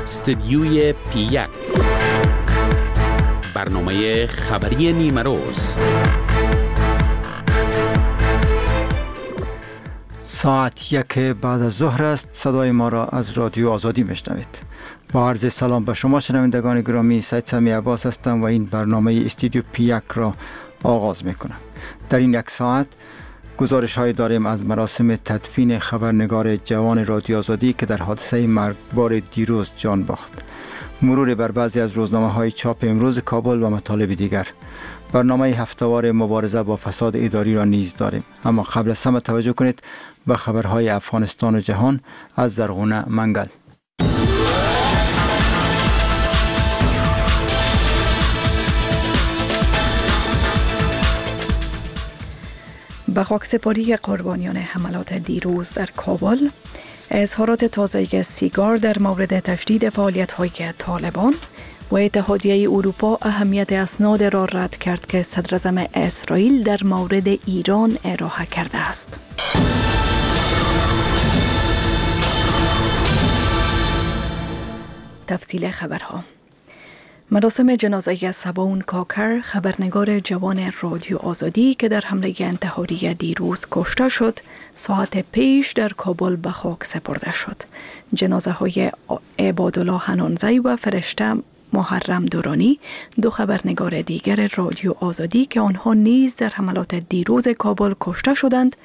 استدیوی پی 1، برنامه خبری نیمه روز. ساعت 1 بعد از ظهر است. صدای ما را از رادیو آزادی میشنوید. با عرض سلام به شما شنوندگان گرامی، سید سمیع عباس هستم و این برنامه استودیو پی 1 را آغاز میکنم. در این یک ساعت گزارش های داریم از مراسم تدفین خبرنگار جوان رادیو آزادی که در حادثه مرگبار دیروز جان باخت، مرور بر بعضی از روزنامه های چاپ امروز کابل و مطالب دیگر. برنامه هفته‌وار مبارزه با فساد اداری را نیز داریم. اما قبل از همه توجه کنید به خبرهای افغانستان و جهان از زرغونه منگل. به خاکسپاری قربانیان حملات دیروز در کابل، اظهارات تازه سیگار در مورد تشدید فعالیت‌های طالبان و اتحادیه اروپا اهمیت اسناد را رد کرد که صدراعظم اسرائیل در مورد ایران ارائه کرده است. تفصیل خبرها. مراسم جنازه سباون کاکر، خبرنگار جوان رادیو آزادی که در حمله انتحاری دیروز کشته شد، ساعت پیش در کابل به خاک سپرده شد. جنازه های عبادالله حنانزی و فرشته محرم دورانی، دو خبرنگار دیگر رادیو آزادی که آنها نیز در حملات دیروز کابل کشته شدند،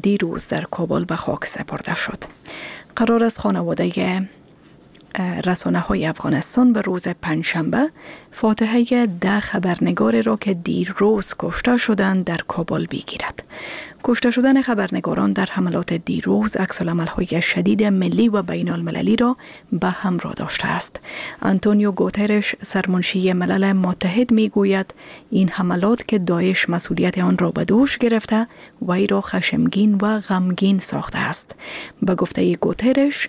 دیروز در کابل به خاک سپرده شد. قرار است خانواده رسانه های افغانستان به روز پنجشنبه فاتحه 10 خبرنگار را که دیروز کشته شدند در کابل بگیرد. کشته شدن خبرنگاران در حملات دیروز عکس‌العمل‌های شدید ملی و بین المللی را به همراه داشته است. آنتونیو گوترش، سرمنشی ملل متحد، میگوید این حملات که داعش مسئولیت آن را به دوش گرفته وی را خشمگین و غمگین ساخته است. به گفته گوترش،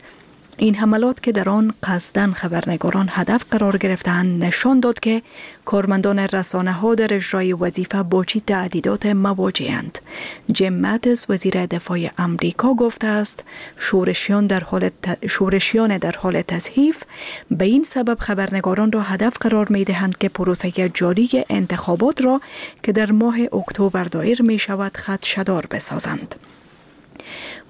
این حملات که در آن قصداً خبرنگاران هدف قرار گرفتند نشان داد که کارمندان رسانه ها در اجرای وظیفه با چه تهدیدات مواجهند. جیم ماتیس، وزیر دفاع امریکا، گفته است شورشیان در حال تضعیف به این سبب خبرنگاران را هدف قرار می دهند که پروسه جاری انتخابات را که در ماه اکتبر دایر می شود خدشه‌دار بسازند.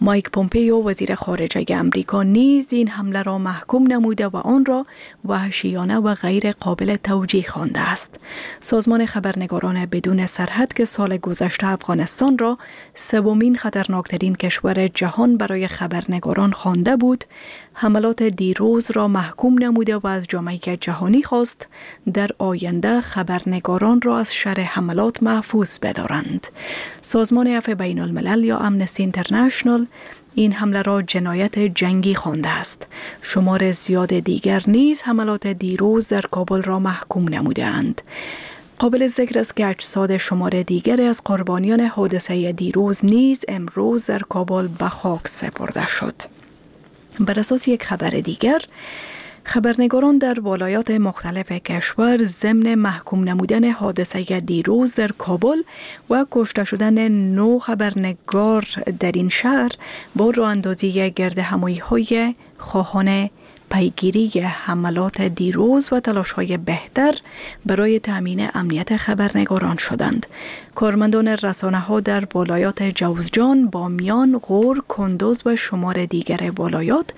مایک پومپیو، وزیر خارجه امریکا، نیز این حمله را محکوم نموده و آن را وحشیانه و غیر قابل توجیه خوانده است. سازمان خبرنگاران بدون سرحد که سال گذشته افغانستان را سومین خطرناکترین کشور جهان برای خبرنگاران خوانده بود، حملات دیروز را محکوم نموده و از جامعه جهانی خواست در آینده خبرنگاران را از شر حملات محفوظ بدارند. سازمان عفو بین الملل یا امنستی اینترنشنال این حمله را جنایت جنگی خوانده است. شمار زیاد دیگر نیز حملات دیروز در کابل را محکوم نمودند. قابل ذکر است که اجساد شمار دیگر از قربانیان حادثه دیروز نیز امروز در کابل به خاک سپرده شد. بر اساس یک خبر دیگر، خبرنگاران در ولایات مختلف کشور ضمن محکوم نمودن حادثه دیروز در کابل و کشته شدن 9 خبرنگار در این شهر با راه اندازی گرد همایی های خواهان پیگیری حملات دیروز و تلاش‌های بهتر برای تأمین امنیت خبرنگاران شدند. کارمندان رسانه‌ها در ولایات جوزجان، بامیان، غور، کندوز و شمار دیگر ولایات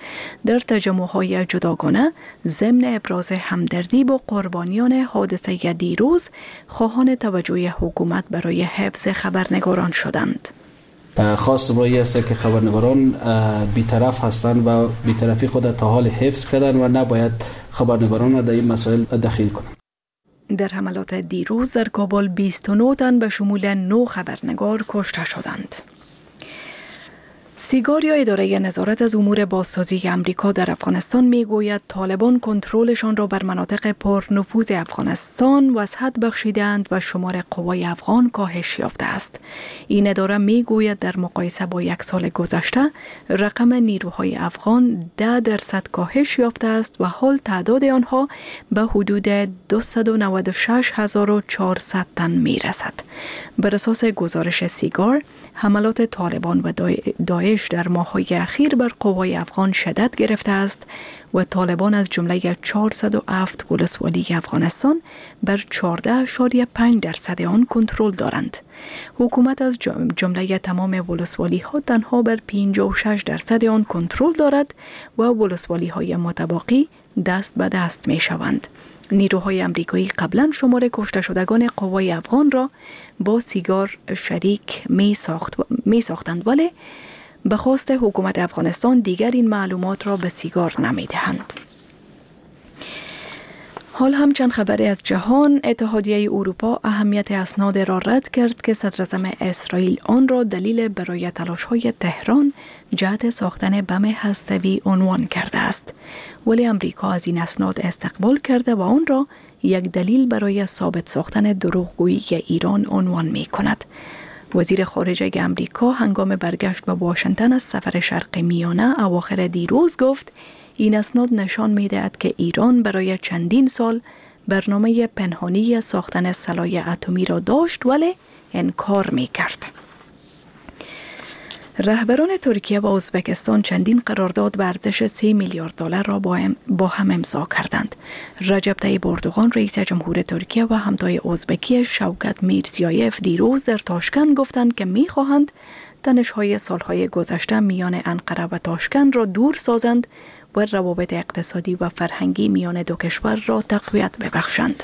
در تجمع‌های جداگانه ضمن ابراز همدردی با قربانیان حادثه دیروز خواهان توجه حکومت برای حفظ خبرنگاران شدند. خواست ما این است که خبرنگاران بی‌طرف هستند و بی‌طرفی خود تا حال حفظ کردن و نباید خبرنگاران را در این مسائل دخیل کنند. در حملات دیروز در کابل 29 تن به شمول 9 خبرنگار کشته شدند. سیگار یا اداره نظارت از امور بازسازی امریکا در افغانستان میگوید طالبان کنترلشان را بر مناطق پرنفوذ افغانستان وسعت بخشیدند و شمار قوای افغان کاهش یافته است. این اداره میگوید در مقایسه با یک سال گذشته رقم نیروهای افغان 10% کاهش یافته است و حال تعداد آنها به حدود 296,400 تن میرسد. بر اساس گزارش سیگار، حملات طالبان و داعش داعش در ماه‌های اخیر بر قوای افغان شدت گرفته است و طالبان از جمله 407 ولسوالی افغانستان بر 14.5% آن کنترل دارند. حکومت از جمله تمام ولسوالی ها تنها بر 56% آن کنترل دارد و ولسوالی های متباقی دست به دست می شوند. نیروهای امریکایی قبلا شمار کشته شدگان قوای افغان را با سیگار شریک می ساختند، ولی به خواست حکومت افغانستان دیگر این معلومات را به سیگار نمی دهند. حال هم چند خبری از جهان. اتحادیه اروپا اهمیت اسناد را رد کرد که صدراعظم اسرائیل آن را دلیل برای تلاش‌های تهران جهت ساختن بم هستوی عنوان کرده است، ولی امریکا از این اسناد استقبال کرده و آن را یک دلیل برای ثابت ساختن دروغگویی ایران عنوان می کند. وزیر خارجه امریکا هنگام برگشت به واشنگتن از سفر شرق میانه اواخر دیروز گفت این اسناد نشان می‌دهد که ایران برای چندین سال برنامه پنهانی ساختن سلاح اتمی را داشت ولی انکار می‌کرد. رهبران ترکیه و ازبکستان چندین قرارداد به ارزش 3 میلیارد دلار را با هم امضا کردند. رجب طیب اردوغان رئیس جمهور ترکیه و همتای ازبکی شوکت میرزیایف دیروز در تاشکند گفتند که می‌خواهند تنش‌های سالهای گذشته میان انقره و تاشکند را دور سازند و روابط اقتصادی و فرهنگی میان دو کشور را تقویت ببخشند.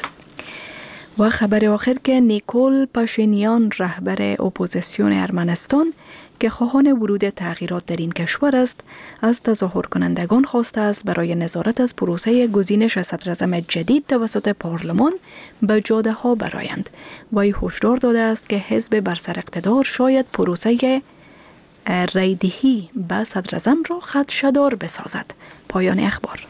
و خبر آخر که نیکول پاشینیان رهبر اپوزیسیون ارمنستان که خواهان ورود تغییرات در این کشور است، از تظاهر کنندگان خواسته است برای نظارت از پروسه گزینش صدراعظم جدید توسط پارلمان به جاده ها برآیند. وی هشدار داده است که حزب بر سر اقتدار شاید پروسه رای‌دهی به صدراعظم را خدشه‌دار بسازد. پایان اخبار.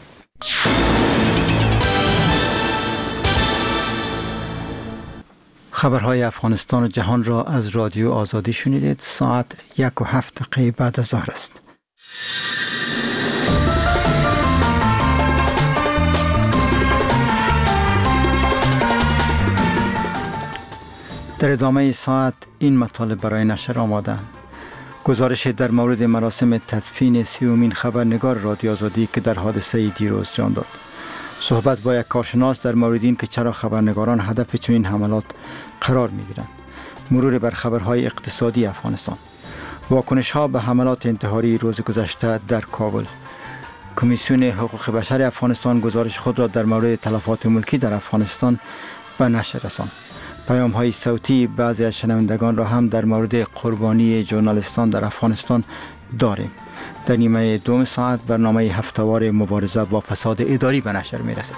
خبرهای افغانستان و جهان را از رادیو آزادی شنیدید. ساعت 1:07 بعد از ظهر است. در ادامه ساعت این مطالب برای نشر آماده‌اند. گزارش در مورد مراسم تدفین 30مین خبرنگار رادیو آزادی که در حادثه دیروز جان داد. صحبت با یک کارشناس در مورد این که چرا خبرنگاران هدف چنین حملات قرار می‌گیرند. مرور بر خبرهای اقتصادی افغانستان. واکنش‌ها به حملات انتحاری روز گذشته در کابل. کمیسیون حقوق بشر افغانستان گزارش خود را در مورد تلفات ملکی در افغانستان به نشر رساند. پیام‌های صوتی بعضی از شنوندگان را هم در مورد قربانی ژورنالیستان در افغانستان داریم. در نیمه دوم ساعت برنامه هفته‌وار مبارزه با فساد اداری به نشر می‌رسد.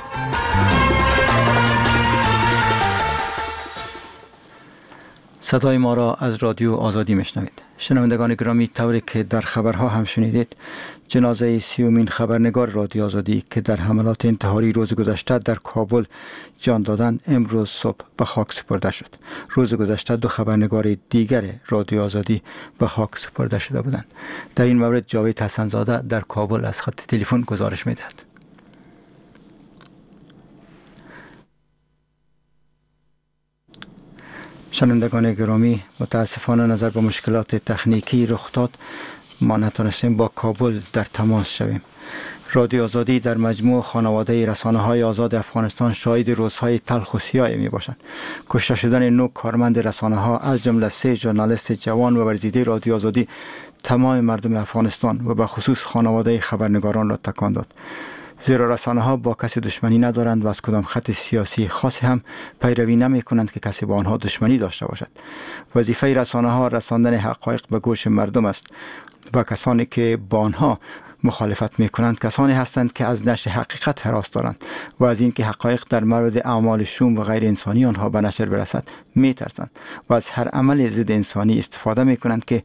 صدای ما را از رادیو آزادی میشنوید. شنوندگان گرامی، طوری که در خبرها هم شنیدید، جنازه 30مین خبرنگار رادیو آزادی که در حملات انتحاری روز گذشته در کابل جان دادند، امروز صبح به خاک سپرده شد. روز گذشته 2 خبرنگار دیگر رادیو آزادی به خاک سپرده شده بودند. در این مورد جاوید حسن زاده در کابل از خط تلفن گزارش میدهد. شنوندگان گرامی، متاسفانه نظر به مشکلات تکنیکی رخ داد، ما نتونستیم با کابل در تماس شویم. رادیو آزادی در مجموع خانواده رسانه‌های آزاد افغانستان شاهد روزهای تلخ و سیاه می باشند. کشته شدن 9 کارمند رسانه‌ها از جمله 3 ژورنالیست جوان و ورزیده رادیو آزادی تمام مردم افغانستان و به خصوص خانواده خبرنگاران را تکان داد. زیرا رسانه ها با کسی دشمنی ندارند و از کدام خط سیاسی خاصی هم پیروی نمی کنند که کسی با آنها دشمنی داشته باشد. وظیفه رسانه ها رساندن حقایق به گوش مردم است و کسانی که با آنها مخالفت می کنند کسانی هستند که از نشر حقیقت هراس دارند و از اینکه حقایق در مورد اعمال شوم و غیر انسانی آنها به نشر برسد می ترسند و از هر عمل ضد انسانی استفاده می کنند که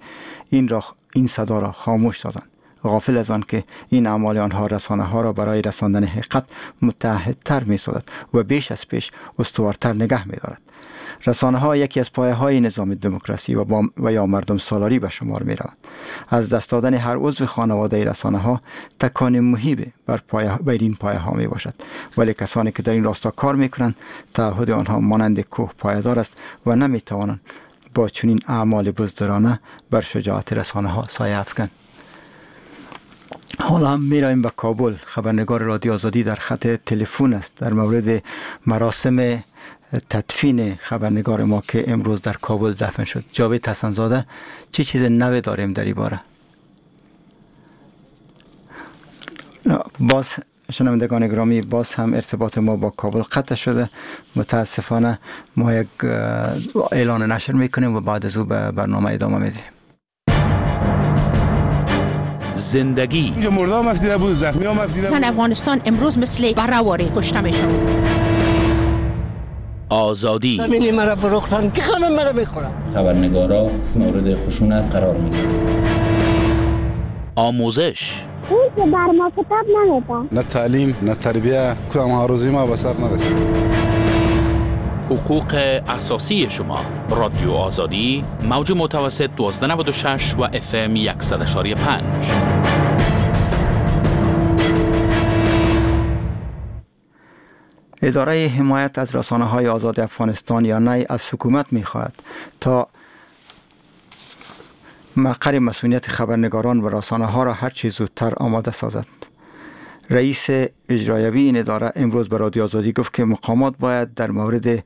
این صدا را خاموش سازند، غافل از آن که این اعمال آنها رسانه ها را برای رساندن حقیقت متعهدتر می سازد و بیش از پیش استوارتر نگه می دارد. رسانه ها یکی از پایه های نظام دموکراسی و یا مردم سالاری به شمار می روند. از دست دادن هر عضو خانواده رسانه ها تکان مهیب بر این پایه ها می باشد، ولی کسانی که در این راستا کار می کنند تعهد آنها مانند کوه پایدار است و نمی توانند با چنین اعمال بزدلانه بر شجاعت رسانه ها سایه افکند. حالا هم می‌رویم به کابل. خبرنگار رادیو آزادی در خط تلفن است در مورد مراسم تدفین خبرنگار ما که امروز در کابل دفن شد. جاوید حسن زاده، چه چیز نوی داریم در این باره؟ باز شنوندگان گرامی، باز هم ارتباط ما با کابل قطع شده متاسفانه. ما یک اعلان نشر میکنیم و بعد از او به برنامه ادامه میدیم. زندگی اینجا مرده هم افتیده بود، زخمی هم افتیده بود. زن افغانستان امروز مثل براواری کشته میشه. آزادی زمینی مرا فروختن که همه مرا میخورن. خبرنگارا مورد خشونت قرار میگیرن. آموزش او که بر ما کتاب نمیدن، نه تعلیم نه تربیه، کدام آرزوی ما به سر نرسید. حقوق اساسی شما، رادیو آزادی، موج متوسط 1296 و اف ام 100.5. اداره حمایت از رسانه‌های آزاد افغانستان یا نی از حکومت می‌خواهد تا مقر مسئولیت خبرنگاران و رسانه‌ها را هر چه زودتر آماده سازد. رئیس اجرایوی این اداره امروز به رادیو آزادی گفت که مقامات باید در مورد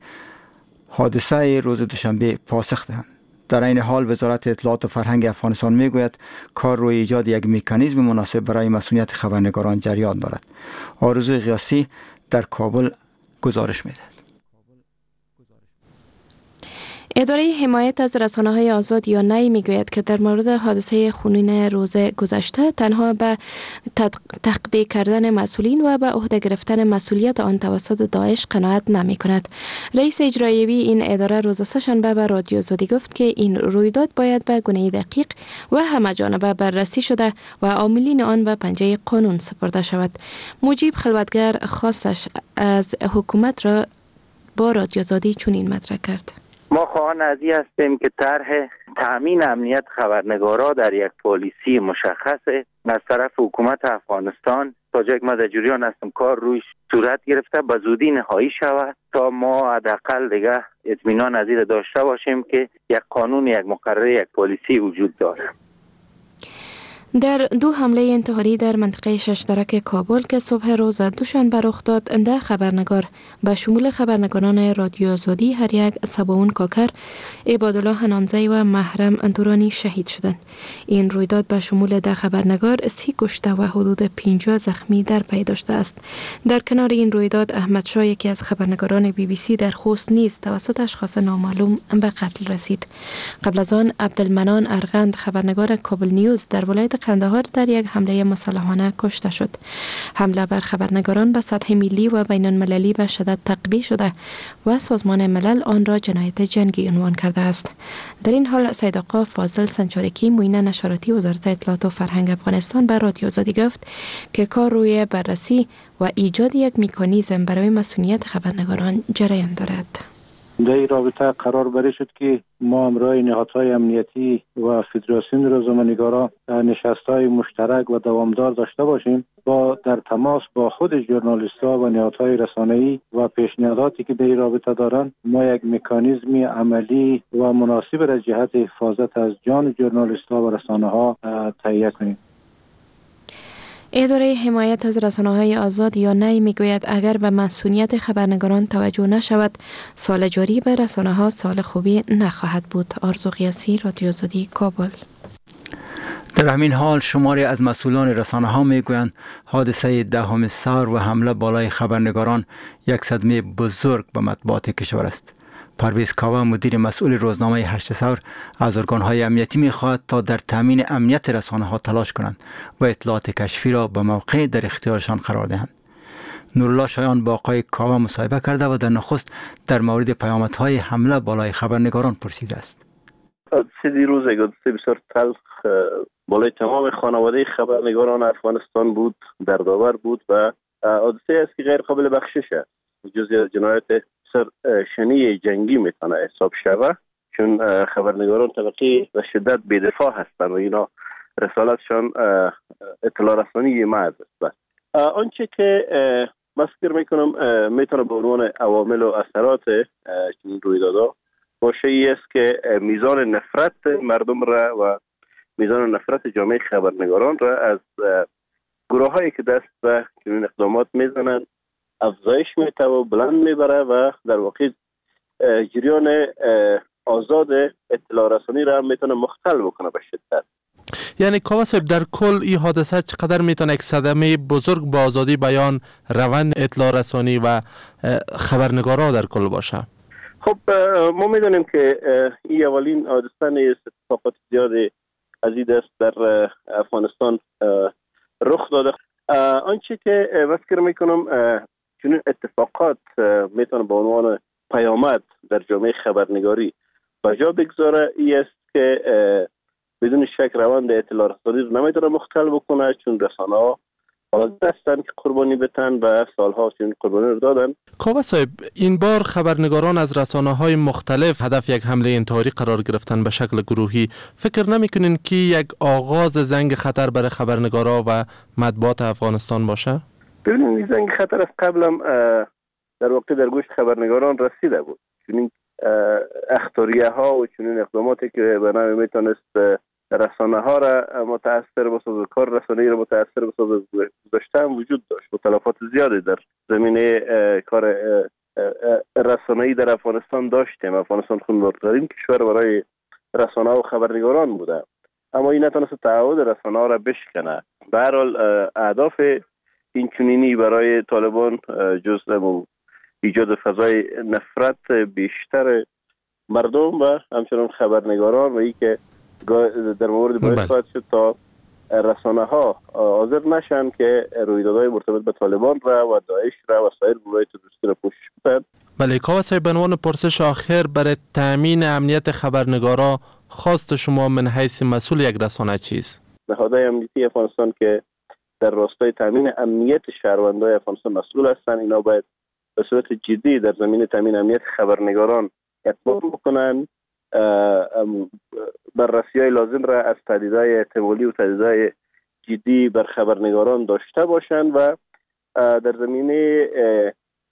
حادثه روز دوشنبه پاسخ دهند. در این حال وزارت اطلاعات و فرهنگ افغانستان میگوید کار روی ایجاد یک مکانیزم مناسب برای مسئولیت خبرنگاران جریان دارد. آرزو غیاثی در کابل گزارش میدهد. اداره حمایت از رسانه‌های آزاد یا نی میگوید که در مورد حادثه خونین روز گذشته تنها به تخبیه کردن مسئولین و به عهده گرفتن مسئولیت آن توسط داعش قناعت نمی کند. رئیس اجرایوی این اداره روز سه‌شنبه به رادیو آزادی گفت که این رویداد باید به گونه دقیق و همه جانبه بررسی شده و عاملین آن به پنجه قانون سپرده شود. مجیب خلوتگر خواستش از حکومت را با رادیو آزادی چنین مطرح کرد: ما خواهان از این هستیم که طرح تامین امنیت خبرنگارا در یک پالیسی مشخص از طرف حکومت افغانستان تا جایی که ما در جریان هستم کار روی صورت گرفته به زودی نهایی شود تا ما حداقل دیگه اطمینان از این داشته باشیم که یک قانون، یک مقرره، یک پالیسی وجود داره. در دو حمله انتحاری در منطقه شش درک کابل که صبح روز دوشنبه رخ داد، 10 خبرنگار به شمول خبرنگاران رادیو آزادی هر یک سباون کاکر، عبادالله حنانزی و محرم اندورانی شهید شدند. این رویداد به شمول 10 خبرنگار 30 کشته و حدود 50 زخمی در پی داشته است. در کنار این رویداد احمد شاه، یکی از خبرنگاران بی بی سی در خوست، نیز توسط اشخاص نامعلوم به قتل رسید. قبل از آن عبدالمنان ارغند، خبرنگار کابل نیوز در ولایت قندهار، در یک حمله مسلحانه کشته شد. حمله بر خبرنگاران به سطح ملی و بین المللی به شدت تقبیح شده و سازمان ملل آن را جنایت جنگی عنوان کرده است. در این حال سید آقا فاضل سنچارکی، معین نشراتی وزارت اطلاعات و فرهنگ افغانستان، به رادیو آزادی گفت که کار روی بررسی و ایجاد یک مکانیزم برای مسئولیت خبرنگاران جریان دارد. در این رابطه قرار بر شد که ما همراه نهادهای امنیتی و فدراسیون روزنامه‌نگاران نشست‌های مشترک و دوامدار داشته باشیم، با در تماس با خود ژورنالیست‌ها و نهادهای رسانه‌ای و پیشنهاداتی که در این رابطه دارند، ما یک مکانیزم عملی و مناسب را جهت حفاظت از جان ژورنالیست‌ها و رسانه‌ها تهیه کنیم. اداره حمایت از رسانه‌های آزاد یا نی میگوید اگر به مسئولیت خبرنگاران توجه نشود، سال جاری به رسانه‌ها سال خوبی نخواهد بود. آرزو غیاثی، رادیو آزادی، کابل. در همین حال شماری از مسئولان رسانه‌ها میگویند حادثه 10 ثور و حمله بالای خبرنگاران یک صدمه بزرگ به مطبوعات کشور است. پرویز کاوه، مدیر مسئول روزنامه 8 ثور، از ارگان‌های امنیتی می‌خواهد تا در تامین امنیت رسانه‌ها تلاش کنند و اطلاعات کشفی را به موقع در اختیارشان قرار دهند. نورالله شایان با آقای کاوه مصاحبه کرده و در نخست در مورد پیامدهای حمله بالای خبرنگاران پرسیده است. حادثه دیروز یک حادثه بسیار تلخ بالای تمام خانواده خبرنگاران افغانستان بود، دردآور بود و حادثه است که غیر قابل بخشش است. جزئی از جنایت شنی جنگی میتونه حساب شوه، چون خبرنگاران طبقه به شدت بی‌دفاع هستند و اینا رسالتشان اطلاع رسانی مرز است. آنچه که من فکر میکنم میتونه به عنوان عوامل و اثرات چنین رویدادها باشه ای است که میزان نفرت مردم را و میزان نفرت جامعه خبرنگاران را از گروه هایی که دست به چنین اقدامات میزنند افزایش میده و بلند میبره و در واقع جریان آزاد اطلاع رسانی را میتونه مختل بکنه به شدت. یعنی کاوه صاحب، در کل این حادثه چقدر میتونه یک صدمه بزرگ با آزادی بیان، روند اطلاع رسانی و خبرنگارا در کل باشه؟ خب ما میدونیم که این اولین حادثه نیست، اتفاقات زیاد از این دست در افغانستان رخ داده. آنچه که فکر میکنم چنین اتفاقات میتونه به عنوان پیامد در جامعه خبرنگاری به جا بگذاره ای است که بدون شک روند اطلاع رسانی رو نمیتونه مختل بکنه، چون رسانه ها حاضر هستند که قربانی بتن و سالها چون قربانی رو دادن. کاوه صاحب، این بار خبرنگاران از رسانه های مختلف هدف یک حمله انتحاری قرار گرفتن به شکل گروهی. فکر نمیکنین که یک آغاز زنگ خطر برای خبرنگارا و مطبوعات افغانستان باشه؟ ببینید، این زنگ خطر از قبلم در واقع در گوش خبرنگاران رسیده بود. چون اخطاریه ها و چنین اقداماتی که به نوعی میتونست رسانه ها را متاثر بسازه، کار رسانه‌ای را متاثر بسازه، گذاشته هم وجود داشت و تلفات زیادی در زمینه کار رسانه‌ای در افغانستان داشتیم. افغانستان خونبارترین کشور برای رسانه و خبرنگاران بوده، اما این نتونست تعهد رسانه ها را بشکنه. به هر حال اهداف این چنینی برای طالبان جز ایجاد فضای نفرت بیشتر مردم و همچنان خبرنگاران و ای که در مورد باعث خواهد شد تا رسانه ها حاضر نشن که رویدادهای مرتبط به طالبان را و داعش را و سایر گروه‌های تروریستی را پوشش بدن. بله کاوه صاحب، به عنوان پرسش آخر، برای تامین امنیت خبرنگارا خواست شما من حیث مسئول یک رسانه چیست؟ نهادهای امنیتی افغانستان که در راستای تامین امنیت شهروندای افغانستان مسئول هستند، اینا باید به صورت جدی در زمینه تامین امنیت خبرنگاران اقدام بکنن، بررسی‌های لازم را از تهدیدهای احتمالی و تهدیدهای جدی بر خبرنگاران داشته باشند و در زمینه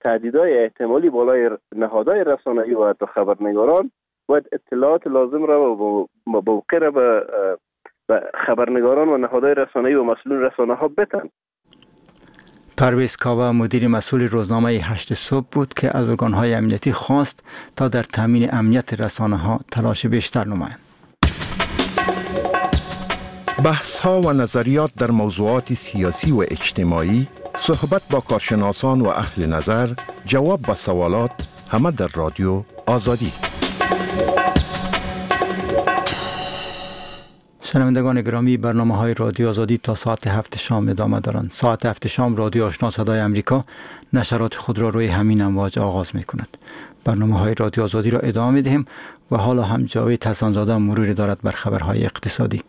تهدیدهای احتمالی بالای نهادهای رسانه‌ای و حتی خبرنگاران باید اطلاعات لازم را و موقع را به خبرنگاران و نهادهای رسانه‌ای و مسئولین رسانه‌ها بدن. پرویز کاوه، مدیر مسئول روزنامه 8 صبح بود که از ارگان‌های امنیتی خواست تا در تامین امنیت رسانه‌ها تلاش بیشتر نمایند. بحث‌ها و نظریات در موضوعات سیاسی و اجتماعی، صحبت با کارشناسان و اهل نظر، جواب به سوالات، همه در رادیو آزادی. شنوندگان گرامی، برنامه‌های رادیو آزادی تا ساعت 7 شام ادامه دارند. ساعت 7 شام رادیو آشنا صدای امریکا نشرات خود را روی همین امواج آغاز می‌کند. برنامه‌های رادیو آزادی را ادامه می‌دهیم و حالا هم جاوید حسن‌زاده مروری دارد بر خبرهای اقتصادی.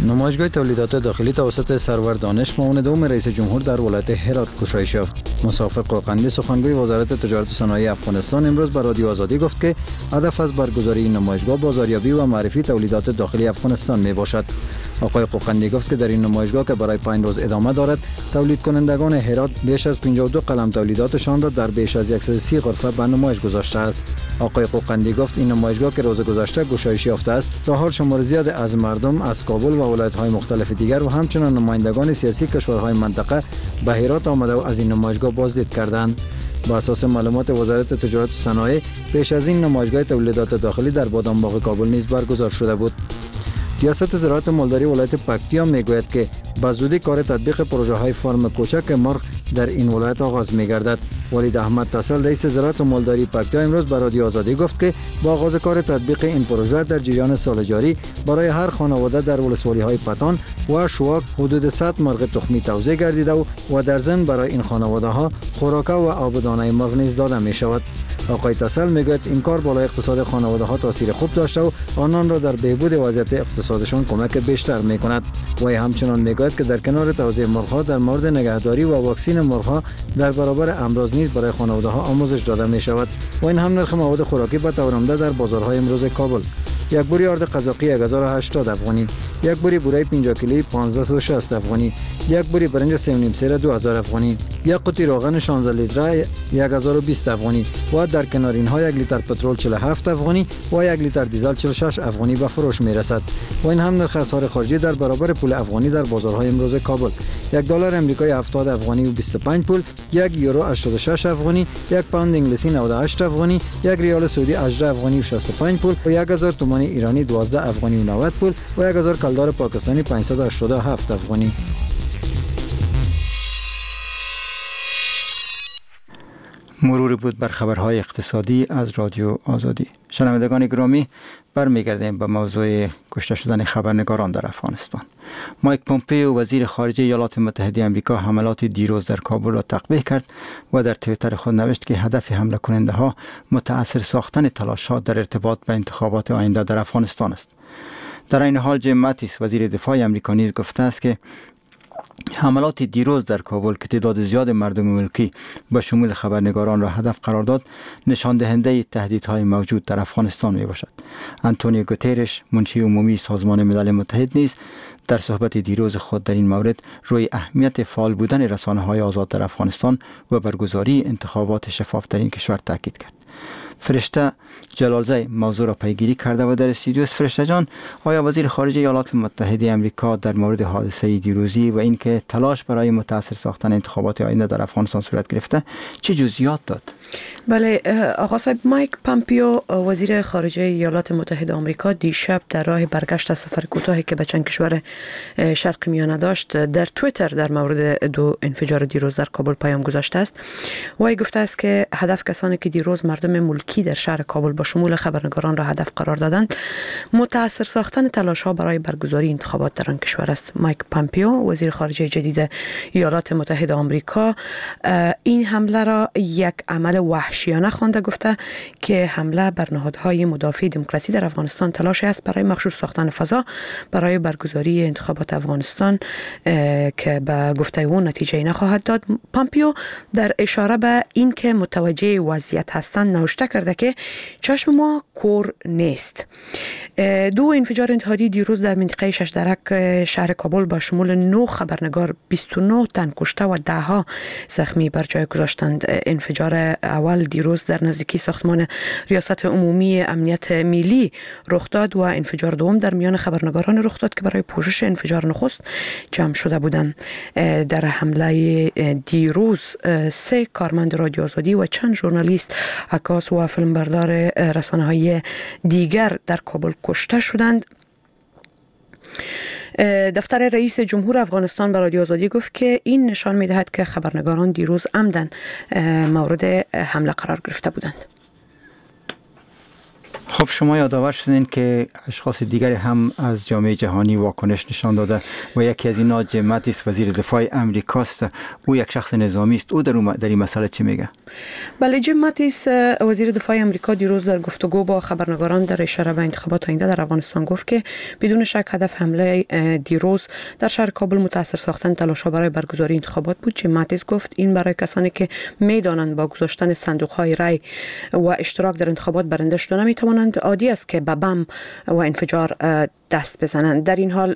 نمایشگاه تولیدات داخلی توسط سرور دانش، معاون دوم رئیس جمهور در ولایت هرات گشایش یافت. مسافر قوقندی، سخنگوی وزارت تجارت و صنایع افغانستان، امروز به رادیو آزادی گفت که هدف از برگزاری این نمایشگاه بازاریابی و معرفی تولیدات داخلی افغانستان می باشد. آقای قوقندی گفت که در این نمایشگاه که برای 5 روز ادامه دارد، تولید کنندگان هرات بیش از 52 قلم تولیداتشان را در بیش از 130 غرفه به نمایش گذاشته است. آقای قوقندی گفت این نمایشگاه که روز گذشته گشایش یافته است، تا حال شمار زیاد از مردم از کابل و ولایت‌های مختلف دیگر و همچنین نمایندگان سیاسی کشورهای منطقه به هرات آمده و از این نمایشگاه بازدید کردند. با اساس معلومات وزارت تجارت و صنایع، پیش از این نمایشگاه تولیدات داخلی در بادامباغ کابل نیز برگزار شده بود. ریاست زراعت مالداری ولایت پکتیا میگوید که به زودی کار تطبیق پروژه های فارم کوچک مرغ در این ولایت آغاز میگردد. ولید احمد تسل، رئیس زراعت و مالداری پکتیا، امروز به رادیو آزادی گفت که با آغاز کار تطبیق این پروژه در جریان سال جاری برای هر خانواده در ولسوالی های پتان و شواک حدود 100 مرغ تخمی توزیع گردیده و در ضمن برای این خانواده ها خوراکه و آبدانه مرغ نیز داده می شود. آقای تسل میگوید این کار بالای اقتصاد خانواده ها تاثیر خوب داشته و آنان را در بهبود وضعیت اقتصادشان کمک بیشتر می کند. وی همچنان میگوید که در کنار توزیع مرغ ها در مورد نگهداری و واکسین مرغ ها در برابر امراض نیز برای خانواده ها آموزش داده می شود. و این هم نرخ مواد خوراکی به طور عمده در بازارهای امروز کابل. یک بوری آرد قزاقی 1080 افغانی، یک بوری بوره 50 کیلویی 1560 افغانی، یک بوری برنج 3.5 سیره 2000 افغانی، یک قوطی روغن 16 لیتره 1020 افغانی و در کنار اینها یک لیتر پترول 47 افغانی و یک لیتر دیزل 46 افغانی به فروش می رسد. و این هم نرخ اسعار خارجی در برابر پول افغانی در بازارهای امروز کابل: یک دلار امریکایی 70 افغانی و 25 پول، یک یورو 86 افغانی، یک پوند انگلیسی 98 افغانی، یک ریال سعودی 18 افغانی و 65 پول و 1000 تومان ایرانی 12 افغانی و 90 پول و 1000 کلدار پاکستانی 587 افغانی. مرور بود بر خبرهای اقتصادی از رادیو آزادی. شنوندگان گرامی، برمیگردیم به موضوع کشته شدن خبرنگاران در افغانستان. مایک پومپئو، وزیر خارجه ایالات متحده آمریکا، حملات دیروز در کابل را تقبیح کرد و در توییتر خود نوشت که هدف حمله کننده ها متاثر ساختن تلاشات در ارتباط به انتخابات آینده در افغانستان است. در این حال جیم ماتیس، وزیر دفاع آمریکا، نیز گفته است که حملات دیروز در کابل که تعداد زیاد مردم ملکی به شمول خبرنگاران را هدف قرار داد، نشان دهنده تهدیدهای موجود در افغانستان می باشد. انتونیو گوترش، منشی عمومی سازمان ملل متحد، نیز در صحبت دیروز خود در این مورد روی اهمیت فعال بودن رسانه های آزاد در افغانستان و برگزاری انتخابات شفاف در این کشور تاکید کرد. فرشته جلالزی موضوع را پیگیری کرده و در استودیو. فرشته جان، آیا وزیر خارجه ایالات متحده آمریکا در مورد حادثه دیروزی و اینکه تلاش برای متاثر ساختن انتخابات آینده در افغانستان صورت گرفته چه جزئیات داد؟ بله آقا صاحب، مایک پامپیو، وزیر خارجه ایالات متحده آمریکا، دیشب در راه برگشت از سفر کوتاهی که به چند کشور شرق میانه داشت، در توییتر در مورد دو انفجار دیروز در کابل پیام گذاشته است. وی گفته است که هدف کسانی که دیروز مردم ملکی در شهر کابل با شمول خبرنگاران را هدف قرار دادند، متاثر ساختن تلاش ها برای برگزاری انتخابات در آن کشور است. مایک پامپیو، وزیر خارجه جدید ایالات متحده آمریکا، این حمله را یک عمل وحشیانه خوانده، گفته که حمله بر نهادهای مدافع دموکراسی در افغانستان تلاش است برای مغشوش ساختن فضا برای برگزاری انتخابات افغانستان که به گفته او نتیجه نخواهد داد. پامپیو در اشاره به اینکه متوجه وضعیت هستند نوشته کرده که چشم ما کور نیست. دو انفجار انتحاری دیروز در منطقه شش درک شهر کابل با شمول 9 خبرنگار 29 تن کشته و ده ها زخمی بر جای گذاشتند. انفجار اول دیروز در نزدیکی ساختمان ریاست عمومی امنیت ملی رخ داد و انفجار دوم در میان خبرنگاران رخ داد که برای پوشش انفجار نخست جمع شده بودند. در حمله دیروز 3 کارمند رادیو آزادی و چند ژورنالیست، عکاس و فیلمبردار رسانه‌های دیگر در کابل کشته شدند. دفتر رئیس جمهور افغانستان به رادیو آزادی گفت که این نشان می‌دهد که خبرنگاران دیروز عمداً مورد حمله قرار گرفته بودند. خب شما یادآور شدین که اشخاص دیگری هم از جامعه جهانی واکنش نشان داده و یکی از اینا جیم ماتیس، وزیر دفاع امریکاست. او یک شخص نظامی است. او در این مسئله چی میگه؟ بله، جیم ماتیس، وزیر دفاع امریکا، دیروز در گفتگو با خبرنگاران در اشاره به انتخابات آینده در افغانستان گفت که بدون شک هدف حمله دیروز در شهر کابل متاثر ساختن تلاش‌ها برای برگزاری انتخابات بود. جیم ماتیس گفت این برای کسانی که میدانند با گذاشتن صندوق‌های رای و اشتراک در انتخابات برنده شده نمیتوانند، عادی است که به بم و انفجار دست بزنند. در این حال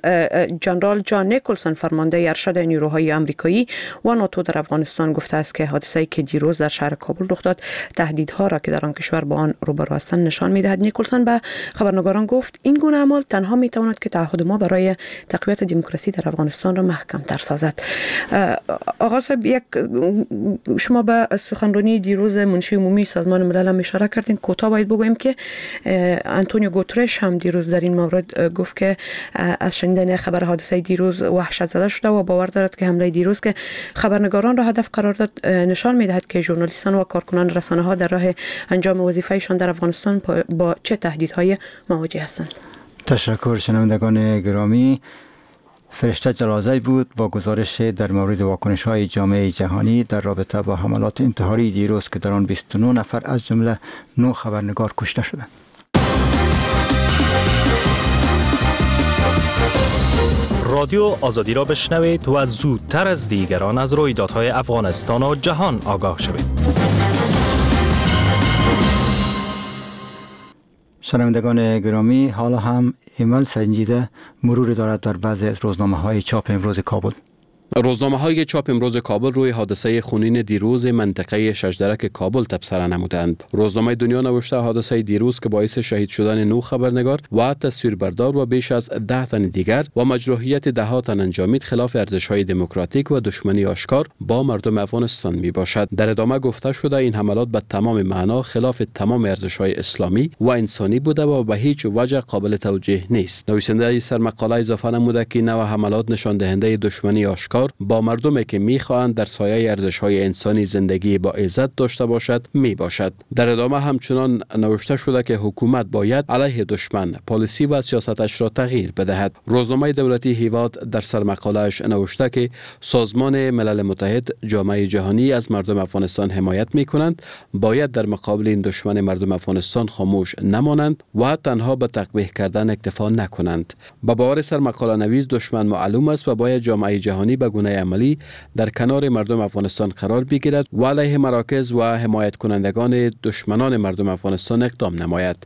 جنرال جان نیکلسون، فرمانده ارشد نیروهای آمریکایی و ناتو در افغانستان، گفته است که حادثه‌ای که دیروز در شهر کابل رخ داد تهدیدها را که در آن کشور با آن روبرو هستند نشان می‌دهد. نیکلسون به خبرنگاران گفت این گونه اعمال تنها می‌تواند که تعهد ما برای تقویت دموکراسی در افغانستان را محکم‌تر سازد. آقا صاحب، یک شما به سخنرانی دیروز منشی عمومی سازمان ملل هم اشاره کردین. کوتاه باید بگوییم که انتونیو گوترش هم دیروز در این مورد گفت که از شنیدن خبر حادثه دیروز وحشت زده شده و باور دارد که حمله دیروز که خبرنگاران را هدف قرار داد نشان می‌دهد که ژورنالیستان و کارکنان رسانه‌ها در راه انجام وظیفه‌شان در افغانستان با چه تهدیدهای مواجه هستند. تشکر شنوندگان گرامی. فرشته جلالزی بود با گزارش در مورد واکنش‌های جامعه جهانی در رابطه با حملات انتحاری دیروز که در آن 29 نفر از جمله 9 خبرنگار کشته شدند. رادیو آزادی را بشنوید و زودتر از دیگران از رویدادهای افغانستان و جهان آگاه شوید. شنوندگان گرامی، حالا هم ایمل سنجیده مرور دارد در بعضی از روزنامه‌های چاپ امروز کابل. روزنامه های چاپ امروز کابل روی حادثه خونین دیروز منطقه ششدرک کابل تبصره نمودند. روزنامه دنیا نوشته حادثه دیروز که باعث شهید شدن 9 خبرنگار و تصویربردار و بیش از 10 تن دیگر و مجروحیت ده تن انجامید خلاف ارزش های دموکراتیک و دشمنی آشکار با مردم افغانستان می باشد. در ادامه گفته شده این حملات به تمام معنا خلاف تمام ارزش های اسلامی و انسانی بوده و به هیچ وجه قابل توجیه نیست. نویسنده سرمقاله اضافه نموده که نوع حملات نشان دهنده دشمنی آشکار با مردمی که میخواهند در سایه ارزش‌های انسانی زندگی با عزت داشته باشد می باشد. در ادامه همچنان نوشته شده که حکومت باید علیه دشمن پالیسی و سیاستش را تغییر بدهد. روزنامه دولتی هیواد در سرمقاله‌اش نوشته که سازمان ملل متحد، جامعه جهانی از مردم افغانستان حمایت می کنند، باید در مقابل این دشمن مردم افغانستان خاموش نمانند و تنها به تقبیح کردن اکتفا نکنند. به باور سرمقاله نویس دشمن معلوم است و باید جامعه جهانی به گونه عملی در کنار مردم افغانستان قرار بگیرد و علیه مراکز و حمایت کنندگان دشمنان مردم افغانستان اقدام نماید.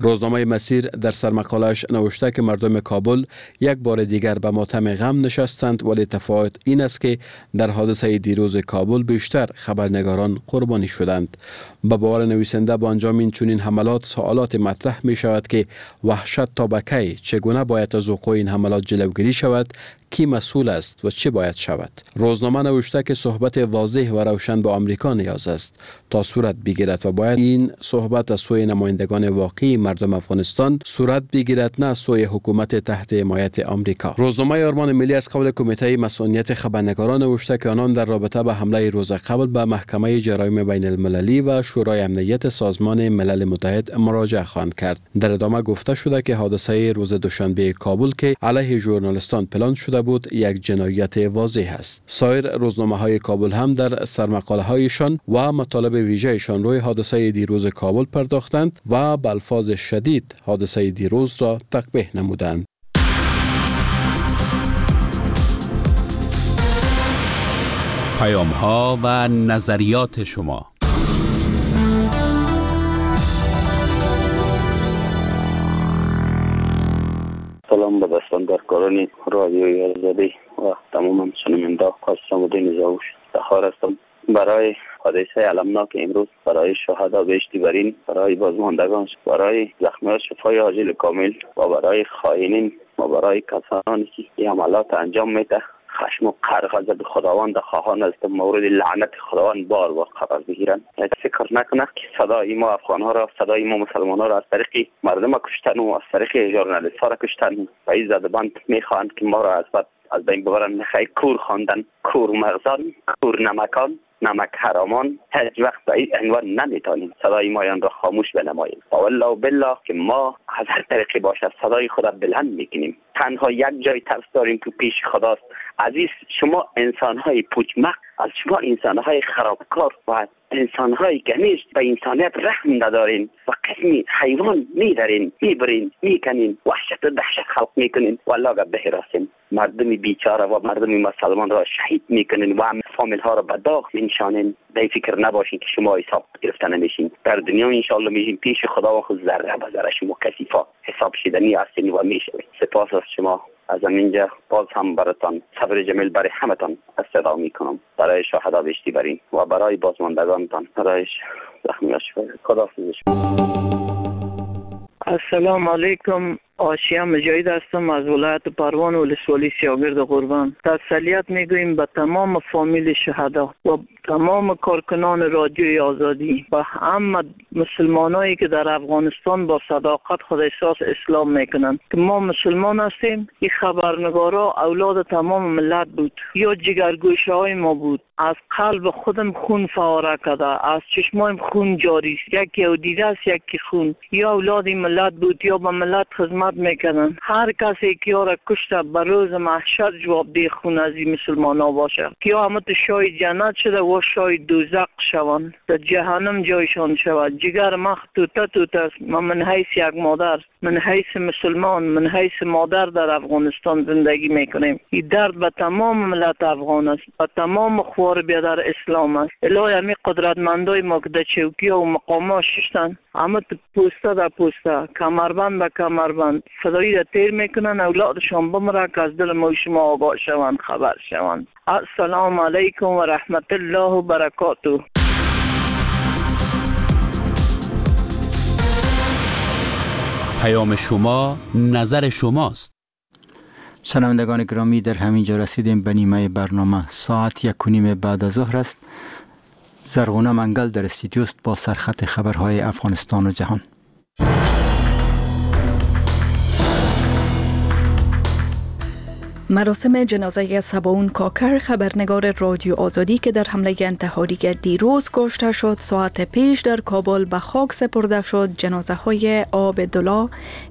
روزنامه مسیر در سرمقاله‌اش نوشته که مردم کابل یک بار دیگر به ماتم غم نشستند، ولی تفاوت این است که در حادثه دیروز کابل بیشتر خبرنگاران قربانی شدند. به باور نویسنده با انجام این چنین حملات سوالات مطرح می شود که وحشت تا به کی، چگونه باید از وقوع این حملات جلوگیری شود، کی مسئول است و چه باید شود. روزنامه نوشته که صحبت واضح و روشن با آمریکا نیاز است تا صورت بگیرد و باید این صحبت از سوی نمایندگان واقعی مردم افغانستان صورت بگیرد، نه از سوی حکومت تحت حمایت آمریکا. روزنامه آرمان ملی از قول کمیته مسئولیت خبرنگاران نوشته که آنان در رابطه به حمله روز قبل به محکمه جرایم بین المللی و شورای امنیت سازمان ملل متحد مراجعه خواهند کرد. در ادامه گفته شده که حادثه روز دوشنبه کابل که علیه ژورنالیستان پلان شده بود یک جنایت واضح است. سایر روزنامه های کابل هم در سرمقاله هایشان و مطالب ویژه‌شان روی حادثه دیروز کابل پرداختند و به الفاظ شدید حادثه دیروز را تقبیح نمودند. پیام ها و نظریات شما. سلام به دستاندرکاران رادیوی آزادی و تمام شنونده قاسم الدین زاوش تخار هستم. برای حادثه المناک امروز، برای شهدا بهشتی برین، برای بازماندگان، برای زخمی‌ها شفای عاجل کامل و برای خائنین و برای کسانی که این عملات انجام میده خشم و غضب خداوند خواهان است مورد لعنت خداوند بار بار قرار بگیرند. فکر نکنه که صدای ما افغان ها را، صدای ما مسلمان ها را از طریق مردم کشتن و از طریق ژورنالیست ها را کشتن و این زدبند میخواهند که ما را از بین ببرند. نخیر، کور خواندن، کور مغزان، کور نمکان، نمک حرامان، هیچ وقت به این عنوان نمیتونیم صدای مایان را خاموش بنماییم. والله بالله که ما از هر طریقی باشد صدای خدا بلند میکنیم. تنها یک جای ترس داریم که پیش خداست. عزیز شما انسانهای پوچمق، از شما انسانهای خرابکار و انسانهای که همیش به انسانیت رحم ندارین و قسمی حیوان میدارین، میبرین، میکنین، وحشت و دهشت خلق میکنین. والله به راستین مردم بیچاره و مردم مسلمان را شهید میکنین و هم فامیل ها را به داغ مینشانین. به فکر نباشین که شما حساب گرفته نمیشین در دنیا. انشالله میشین پیش خدا و خود ذره به ذره شما کثیفا حساب شدنی هستین و میشوین. سپاس از شما. از اینجا باز هم براتان صبر جمیل برای همتان استدعا میکنم، برای شهدا بهشتی برین و برای بازماندگانتان، برای زخمی‌ها شفا. خداحافظ شما. السلام علیکم، آسیا مجاهد هستم از ولایت پروان ولسوالی سیاگرد قربان. تسلیت میگوییم به تمام فامیل شهدا و تمام کارکنان رادیوی آزادی و همه مسلمانایی که در افغانستان با صداقت خود احساس اسلام میکنند که ما مسلمان هستیم. این خبرنگارا اولاد تمام ملت بود یا جگرگوشه های ما بود. از قلب خودم خون فواره کرده، از چشمایم خون جاری است، یکی او دیده است یکی خون. یا اولاد ملت بود یا به ملت خدمت میکنن. هر کسی که را کشته به روز محشر جواب ده خون از این مسلمان ها باشه که یا همه شای جنت شده و شای دوزخ شوند، در جهنم جایشان شود. جگر مخ توته توته است. من حیث یک مادر من حیث مسلمان، من حیث مادر در افغانستان زندگی میکنیم. این درد به تمام ملت افغان است، به تمام خوار بیادر اسلام است. الهی همی قدرتمندای ما که در چوکی و مقامات ششتن، همه پوسته در پوسته، کمربند به کمربند فدایی را تیر میکنن، اولادشان بمره که از دل ما شما آگاه شوند، خبر شوند. السلام علیکم و رحمت الله و برکاته. پیام شما نظر شماست. شنوندگان گرامی، در همین جا رسیدیم به نیمه برنامه. ساعت 1:30 بعد از ظهر است. زرغونه منگل در استودیوست با سرخط خبرهای افغانستان و جهان. مراسم جنازه سباون کاکر، خبرنگار رادیو آزادی که در حمله انتحاری دیروز کشته شد، ساعت پیش در کابل به خاک سپرده شد. جنازه های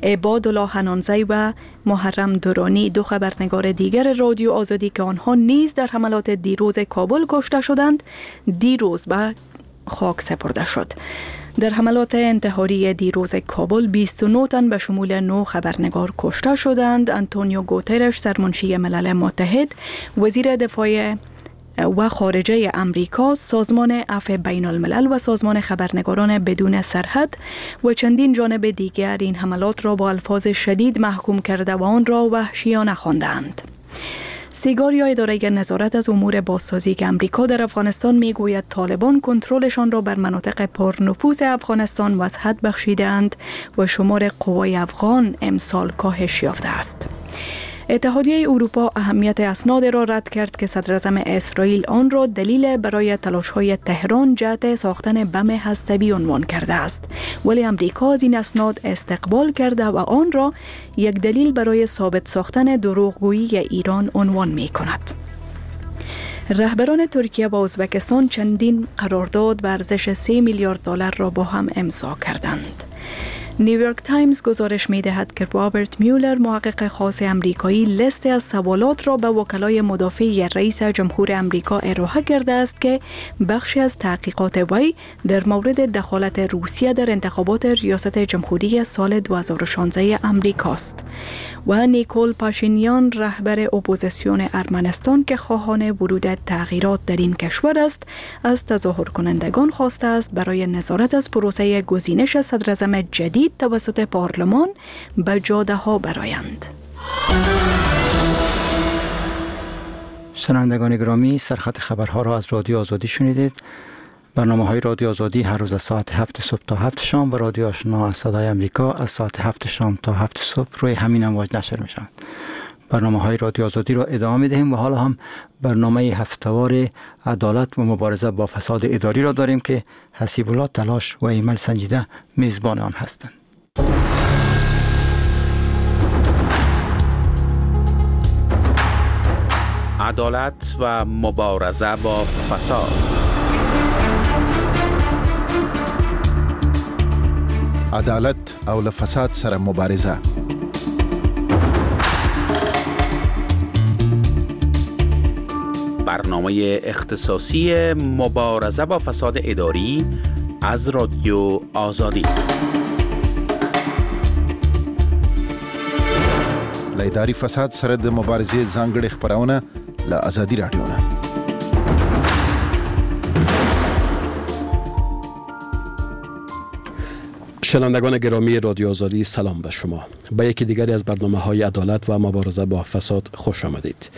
عبادالله حنانزی و محرم دورانی، دو خبرنگار دیگر رادیو آزادی که آنها نیز در حملات دیروز کابل کشته شدند، دیروز به خاک سپرده شد. در حملات انتحاری دیروز کابل 29 تن به شمول 9 خبرنگار کشته شدند. آنتونیو گوترش، سرمنشی ملل متحد، وزیر دفاع و خارجه امریکا، سازمان عفو بین الملل و سازمان خبرنگاران بدون سرحد و چندین جانب دیگر این حملات را با الفاظ شدید محکوم کرده و آن را وحشیانه خواندند. سیگار یا اداره نظارت از امور بازسازی که امریکا در افغانستان میگوید طالبان کنترلشان را بر مناطق پرنفوذ افغانستان وسعت بخشیده‌اند و شمار قوای افغان امسال کاهش یافته است. اتحادیه اروپا اهمیت اسناد را رد کرد که صدراعظم اسرائیل آن را دلیل برای تلاش‌های تهران جهت ساختن بم هستوی عنوان کرده است، ولی امریکا از این اسناد استقبال کرده و آن را یک دلیل برای ثابت ساختن دروغگویی ایران عنوان می‌کند. رهبران ترکیه و ازبکستان چندین قرارداد به ارزش 3 میلیارد دلار را با هم امضا کردند. نیویورک تایمز گزارش می دهد که رابرت میولر، محقق خاص امریکایی، لیست از سوالات را به وکلای مدافع رئیس جمهور امریکا ارائه کرده است که بخشی از تحقیقات وی در مورد دخالت روسیه در انتخابات ریاست جمهوری سال 2016 امریکاست. و نیکول پاشینیان، رهبر اپوزیسیون ارمنستان که خواهان ورود تغییرات در این کشور است، از تظاهر کنندگان خواسته است برای نظارت از پروسه گزینش صدراعظم جدید توسط پارلمان به جاده ها برآیند. شنوندگان گرامی، سرخط خبرها را از رادیو آزادی شنیدید. برنامه‌های رادیو آزادی هر روز از ساعت 7 صبح تا 7 شام و رادیو آشنا از صدای امریکا از ساعت 7 شام تا 7 صبح روی همین امواج نشر می‌شوند. برنامه‌های رادیو آزادی را ادامه می‌دهیم و حالا هم برنامه هفته‌وار عدالت و مبارزه با فساد اداری را داریم که حسیب الله تلاش و ایمل سنجیده میزبان آن هستند. عدالت و مبارزه با فساد. عدالت او له فساد سره مبارزه. برنامه اختصاصی مبارزه با فساد اداری از رادیو آزادی. له اداري فساد سره د مبارزې ځانګړې خپرونه له ازادي راډیو نه. شنوندگان گرامی رادیو آزادی، سلام به شما. به یکی دیگری از برنامه‌های عدالت و مبارزه با فساد خوش آمدید.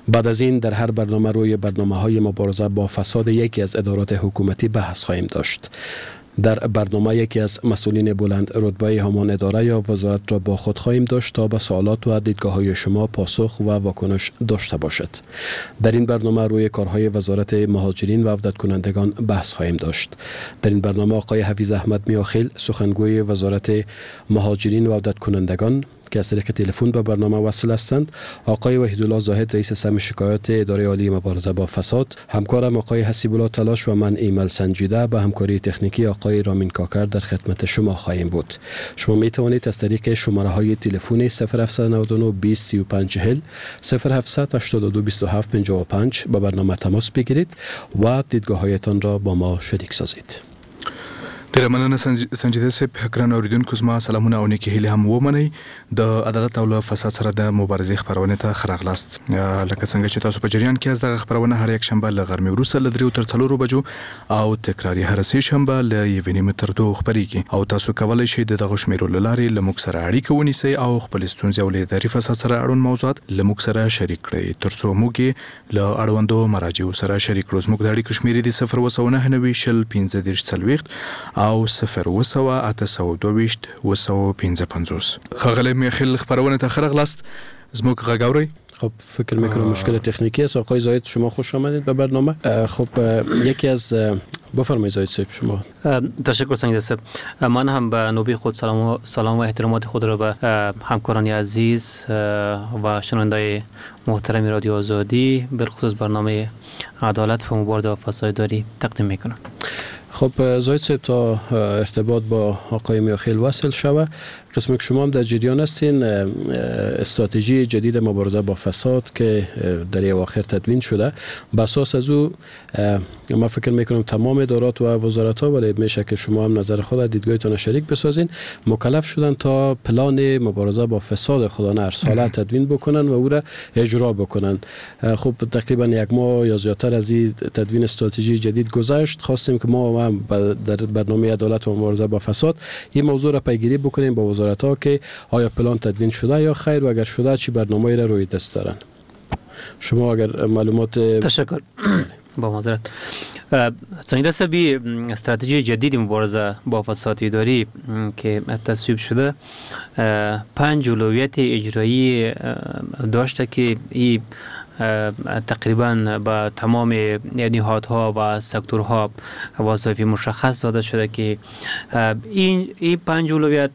بعد از این در هر برنامه روی برنامه‌های مبارزه با فساد یکی از ادارات حکومتی بحث خواهیم داشت. در برنامه یکی از مسئولین بلند رتبه همان اداره یا وزارت را با خود خواهیم داشت تا به سوالات و دیدگاه‌های شما پاسخ و واکنش داشته باشد. در این برنامه روی کارهای وزارت مهاجرین و عودت کنندگان بحث خواهیم داشت. در این برنامه آقای حفیظ احمد میاخیل، سخنگوی وزارت مهاجرین و عودت کنندگان که از طریق تلفن به برنامه وصل هستند، آقای وحیدالله زاهد رئیس سم شکایات اداره عالی مبارزه با فساد، همکارم آقای حسیب الله تلاش و من ایمل سنجیده به همکاری تکنیکی آقای رامین کاکر در خدمت شما خواهیم بود. شما می توانید از طریق شماره های تلفن 0799 20 35 40 0782 27 55 با برنامه تماس بگیرید و دیدگاه هایتان را با ما شریک سازید. ډیره مننه سنجیده صاحب. ګرانو اوریدونکو زما سلامونه او نیکې هیلې هم ومنئ. د عدالت او له فساد سره د مبارزې خپرونې ته ښه راغلاست. لکه څنګه چې تاسو په جریان کې یاست، دغه خپرونه هره یکشنبه له غرمې وروسته له دریو تر څلورو بجو او تکرار یې هره سې شنبه له یوې نیمې تر دوو خپریږي او تاسو کولی شئ د دغو شمیرو له لارې له موږ سره اړیکه ونیسئ او خپلې ستونزې او له اداري فساد سره اړوند موضوعات له موږ سره شریک کړئ ترڅو موږ یې له اړوندو مراجعو سره شریک کړو. زموږ د اړیکو شمیرې دي 0799 20 35 40 او 0700 822 755. ښاغلی میاخیل خپرونې ته ښه راغلاست، زموږ غږ اورئ؟ خب فکر میکنم مشکل تکنیکی است. آقای زاهد شما خوش آمدید به برنامه. خب یکی از بفرمایید زاهد صاحب شما. تشکر سنجیده صاحب. من هم به نوبه خود سلام و احترامات خود را به همکاران عزیز و شنوندای محترم رادیو آزادی بالخصوص برنامه عدالت و مبارزه با فساد اداری تقدیم میکنم. خب زاهد صاحب تا ارتباط با آقای میاخیل وصل شوه، قسم که شما هم در جریان هستین، استراتژی جدید مبارزه با فساد که در اواخر تدوین شده، به اساس از او ما فکر میکنم تمام ادارات و وزارت ها، ولی میشه که شما هم نظر خود دیدگاهتان شریک بسازین، مکلف شدن تا پلان مبارزه با فساد خودانه هر ساله تدوین بکنن و او را اجرا بکنن. خب تقریبا یک ماه یا زیادتر از این تدوین استراتژی جدید گذشت. خواستیم که ما هم در برنامه عدالت و مبارزه با فساد این موضوع را پیگیری بکنیم با وزارت ها که آیا پلان تدوین شده یا خیر، و اگر شده چی برنامه‌ای را روی دست دارن. شما اگر معلومات. تشکر با معذرت. سنجیده صاحب، استراتژی جدید مبارزه با فساد اداری که تصویب شده 5 اولویت اجرایی داشته که این تقریبا به تمام نهادها و سکتورها وظایف مشخص داده شده که این 5 اولویت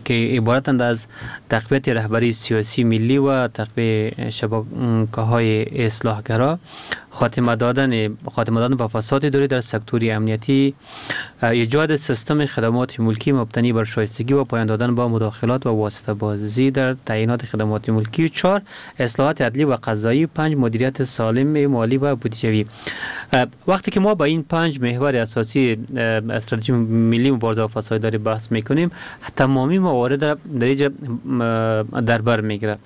که عبارتند از تقویت رهبری سیاسی ملی و تقویت شبکه‌های اصلاحگرا، خاتمه دادن به فساد اداری در سکتور امنیتی، ایجاد سیستم خدمات ملکی مبتنی بر شایستگی و پایان دادن با مداخلات و واسطه بازی در تعیینات خدمات ملکی، 4 اصلاحات عدلی و قضایی، 5 مدیریت سالم مالی و بودجوی. وقتی که ما با این 5 محور اساسی استراتژی ملی مبارزه با فساد اداری بحث میکنیم، تمامی موارد در اینجا در بر میگیره.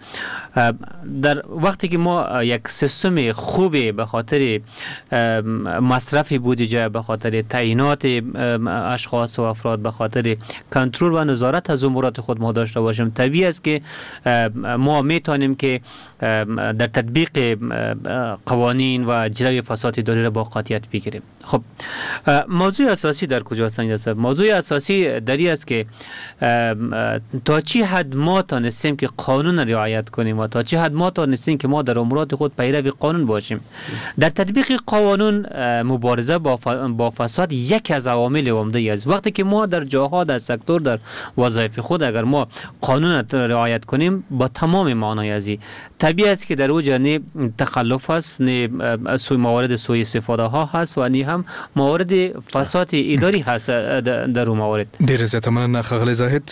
در وقتی که ما یک سیستم خوب به خاطر مصرف بودجه، به خاطر تعیینات اشخاص و افراد، به خاطر کنترل و نظارت از امورات خود ما داشته باشیم، طبیعی است که ما میتونیم که در تطبیق قوانین و جلوی فساد اداری را با قاطعیت بگیریم. خب موضوع اساسی در کجاست؟ موضوع اساسی در این است که تا چی حد ما تانستیم که قانون رعایت کنیم و تا چی حد ما تانستیم که ما در امورات خود پیرو قانون باشیم. در تطبیق قانون مبارزه با فساد یکی از عوامل عمده است. وقتی که ما در جاها، در سکتور، در وظایف خود اگر ما قانون رعایت کنیم با تمام معنای ازی، طبیعی است که در اوج نه تخلف هست، نه موارد سوء استفاده ها هست و نه هم موارد فساد اداری هست در اون موارد. ډیره زیاته مننه ښاغلی زاهد.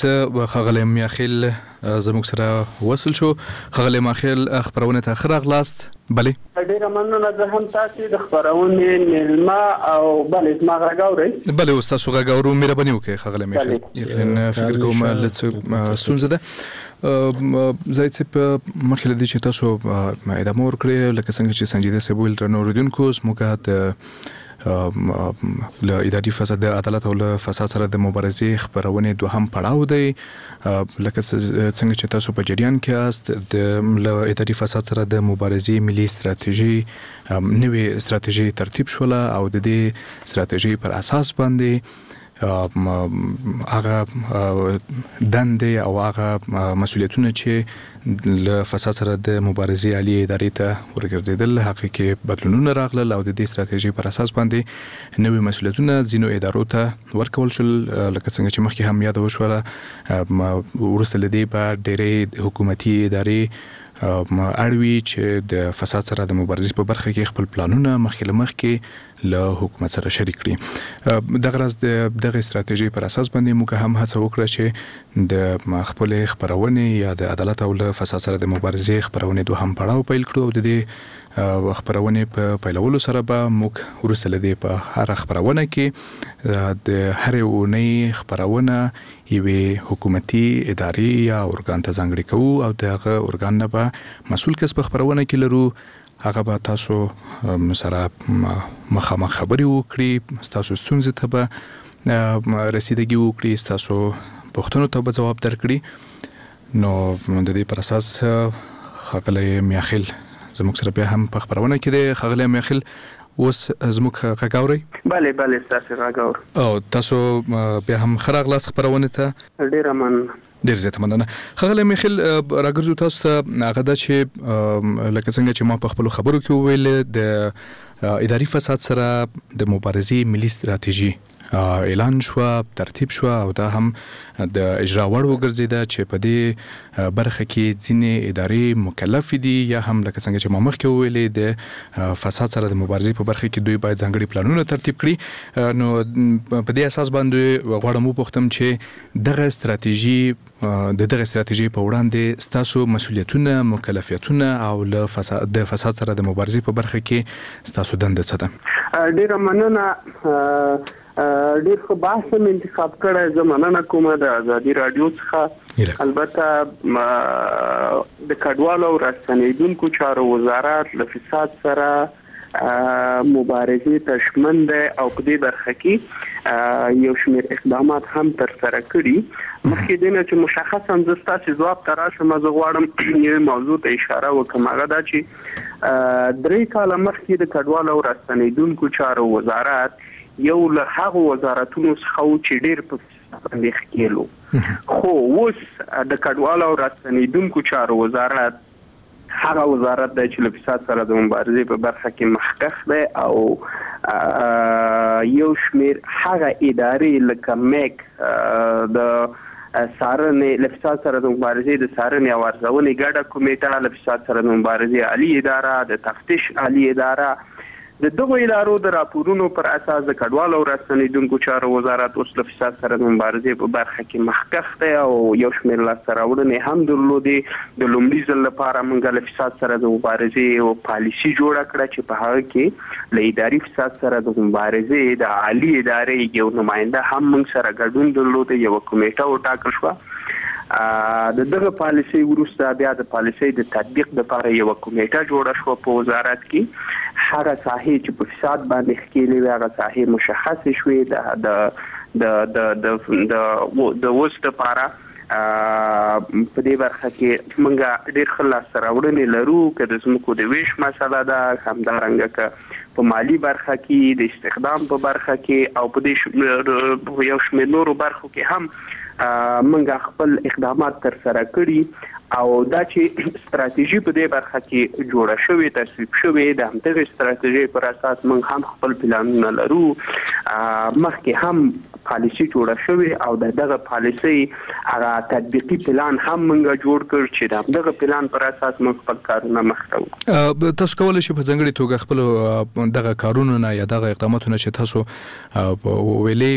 ښاغلی میاخیل زموږ سره وصل شو. ښاغلی میاخیل خپرونې ته ښه راغلاست. بله ډیره مننه. زه هم تاسو د خپرونې میلمه او بله زما غږ اورئ؟ بله اوس تاسو غږ اورو، مهرباني وکړئ ښاغلی میاخیل. یقینا فکر کوم له څه ستونزه ده. زاهد صاحب مخکې له دې چې تاسو ادامه ورکړئ، لکه څنګه چې سنجیده صاحب وویل درنو اورېدونکو، زموږ د له اداري فساد، د عدالت او له فساد سره د مبارزې خپرونې دوهم پړاو دی. لکه څنګه چې تاسو په جریان کې یاست، د له اداري فساد سره د مبارزې ملي استراتژي نوې استراتژي ترتیب شوله او د دې استراتژي پر اساس باندې هغه دندې او هغه مسؤلیتونه چې له فساد سره د مبارزې عالي ادارې ته ورګرځېدل، هغه کې بدلونونه راغلل او د دې ستراتیژۍ پر اساس باندې نوي مسؤلیتونه ځینو ادارو ته ورکول شول. لکه څنګه چې مخکې هم یاده وشوله، وروسته له دې به ډېری حکومتي ادارې اړ وي چې د فساد سره د مبارزې په برخه کې خپل پلانونه مخکې له مخکې له حکومت سره شریک کړي. دغه راز د دغې ستراتیژۍ پر اساس باندې موږ هم هڅه وکړه چې د خپلې خپرونې یا د عدالت او له فساد سره د مبارزې خپرونې دوهم پړاو پیل کړو او د دې خپرونې په پیلولو سره به موږ وروسته له دې په هره خپرونه کې د هرې اونۍ خپرونه یوې حکومتي ادارې یا ارګان ته ځانګړې کوو او د هغه ارګان نه به مسول کس په خپرونه کې لرو، هغه به تاسو سره مخامخ خبرې وکړي، ستاسو ستونزې ته به رسیدګي وکړي، ستاسو پوښتنو ته به ځواب درکړي. نو د دې پر اساس ښاغلی میاخیل زموږ سره بیا هم په خپرونه کې دی. ښاغلی میاخیل، اوس زموږ غږ اورئ؟ بله بله، ستاسو غږ اورم. او تاسو بیا هم ښه راغلاست خپرونې ته. ډیره مننه. ډیر زیاته مننه ښاغلی میخیل. راګرځو تاسو ته، هغه دا چې لکه څنګه چې ما په خپلو خبرو کې وویل، د اداري فساد سره د مبارزې ملي ستراتیژي اعلان شوه، ترتیب شوه او دا هم د اجرا وړ وګرځیده چې په دې برخه کې ځینې ادارې مکلفې دي، یا هم لکه څنګه چې ما مخکې وویلې، د فساد سره د مبارزې په برخه کې دوی باید ځانګړي پلانونه ترتیب کړي. نو په دې اساس باندې غواړم وپوښتم چې دغه ستراتیژي، د دغه ستراتیژۍ په وړاندې ستاسو مسولیتونه، مکلفیتونه او له فساد د فساد سره د مبارزې په برخه کې ستاسو دنده څه ده؟ ډیره مننه. ډیر ښه بحث هم انتخاب کړی. زه مننه کوم د ازادي راډیو څخه. البته د کډوالو او راستنیدونکو چارو وزارت له فساد سره مبارزې ته ژمن دی او په دې برخه کې یو شمېر اقدامات هم ترسره کړي. مخکې دې نه چې مشخصا زه ستاسو ځواب ته راشم، زه غواړم یوې موضوع ته اشاره وکړم، هغه دا چې 3 کاله مخکې د کډوالو او راستنیدونکو چارو وزارت یو له هغو وزارتونو څخه و چې ډېر په فساد باندې ښکېل و، خو اوس د کډوالو او راستنیدونکو چارو وزارت هغه وزارت دی چې له فساد سره د مبارزې په برخه کې مخکښ دی او یو شمېر هغه ادارې لکه میک، د څارنې له فساد سره د مبارزې د څارنې او ارزونې ګډه کمېټه، له فساد سره د مبارزې عالي اداره، د تفتیش عالي اداره، د دغو ادارو د راپورونو پر اساس د کډوالو او راستنیدونکو چارو وزارت اوس له فساد سره د مبارزې په برخه کې مخکښ دی او یو شمېر لاسته راوړنې هم درلودې. د لومړي ځل لپاره موږ له فساد سره د مبارزې یوه پالیسي جوړه کړه چې په هغه کې له اداري فساد سره د مبارزې د عالي ادارې یو نماینده هم موږ سره ګډون درلود، یوه کمېټه وټاکل شوه. د دغه پالیسۍ وروسته بیا د پالیسۍ د تطبیق لپاره یوه کمېټه جوړه شوه په وزارت کې. هغه ساحې چې په فساد باندې ښکېلې وې، هغه ساحې مشخصې شوې. د د د د د د د اوس لپاره په دې برخه کې موږ ډېر ښه لاسته راوړنې لرو، که د ځمکو د وېش مسله ده، همدارنګه که په مالي برخه کې، د استخدام په برخه کې او په دې یو شمېر نورو برخو کې هم موږ خپل اقدامات ترسره کړي. او دا چې ستراتیژي په دې برخه کې جوړه شوې، تصویب شوې، د همدغې ستراتیژۍ پر اساس موږ هم خپل پلانونه لرو. مخکې هم پالیسي جوړه شوې او د دغه پالیسۍ هغه تطبیقي پلان هم موږ جوړ کړ چې د همدغه پلان پر اساس موږ خپل کارونه مخته وړو. تاسو کولی شئ په ځانګړي توګه خپل دغه کارونو نه یا دغه اقداماتو نه چې تاسو ویلې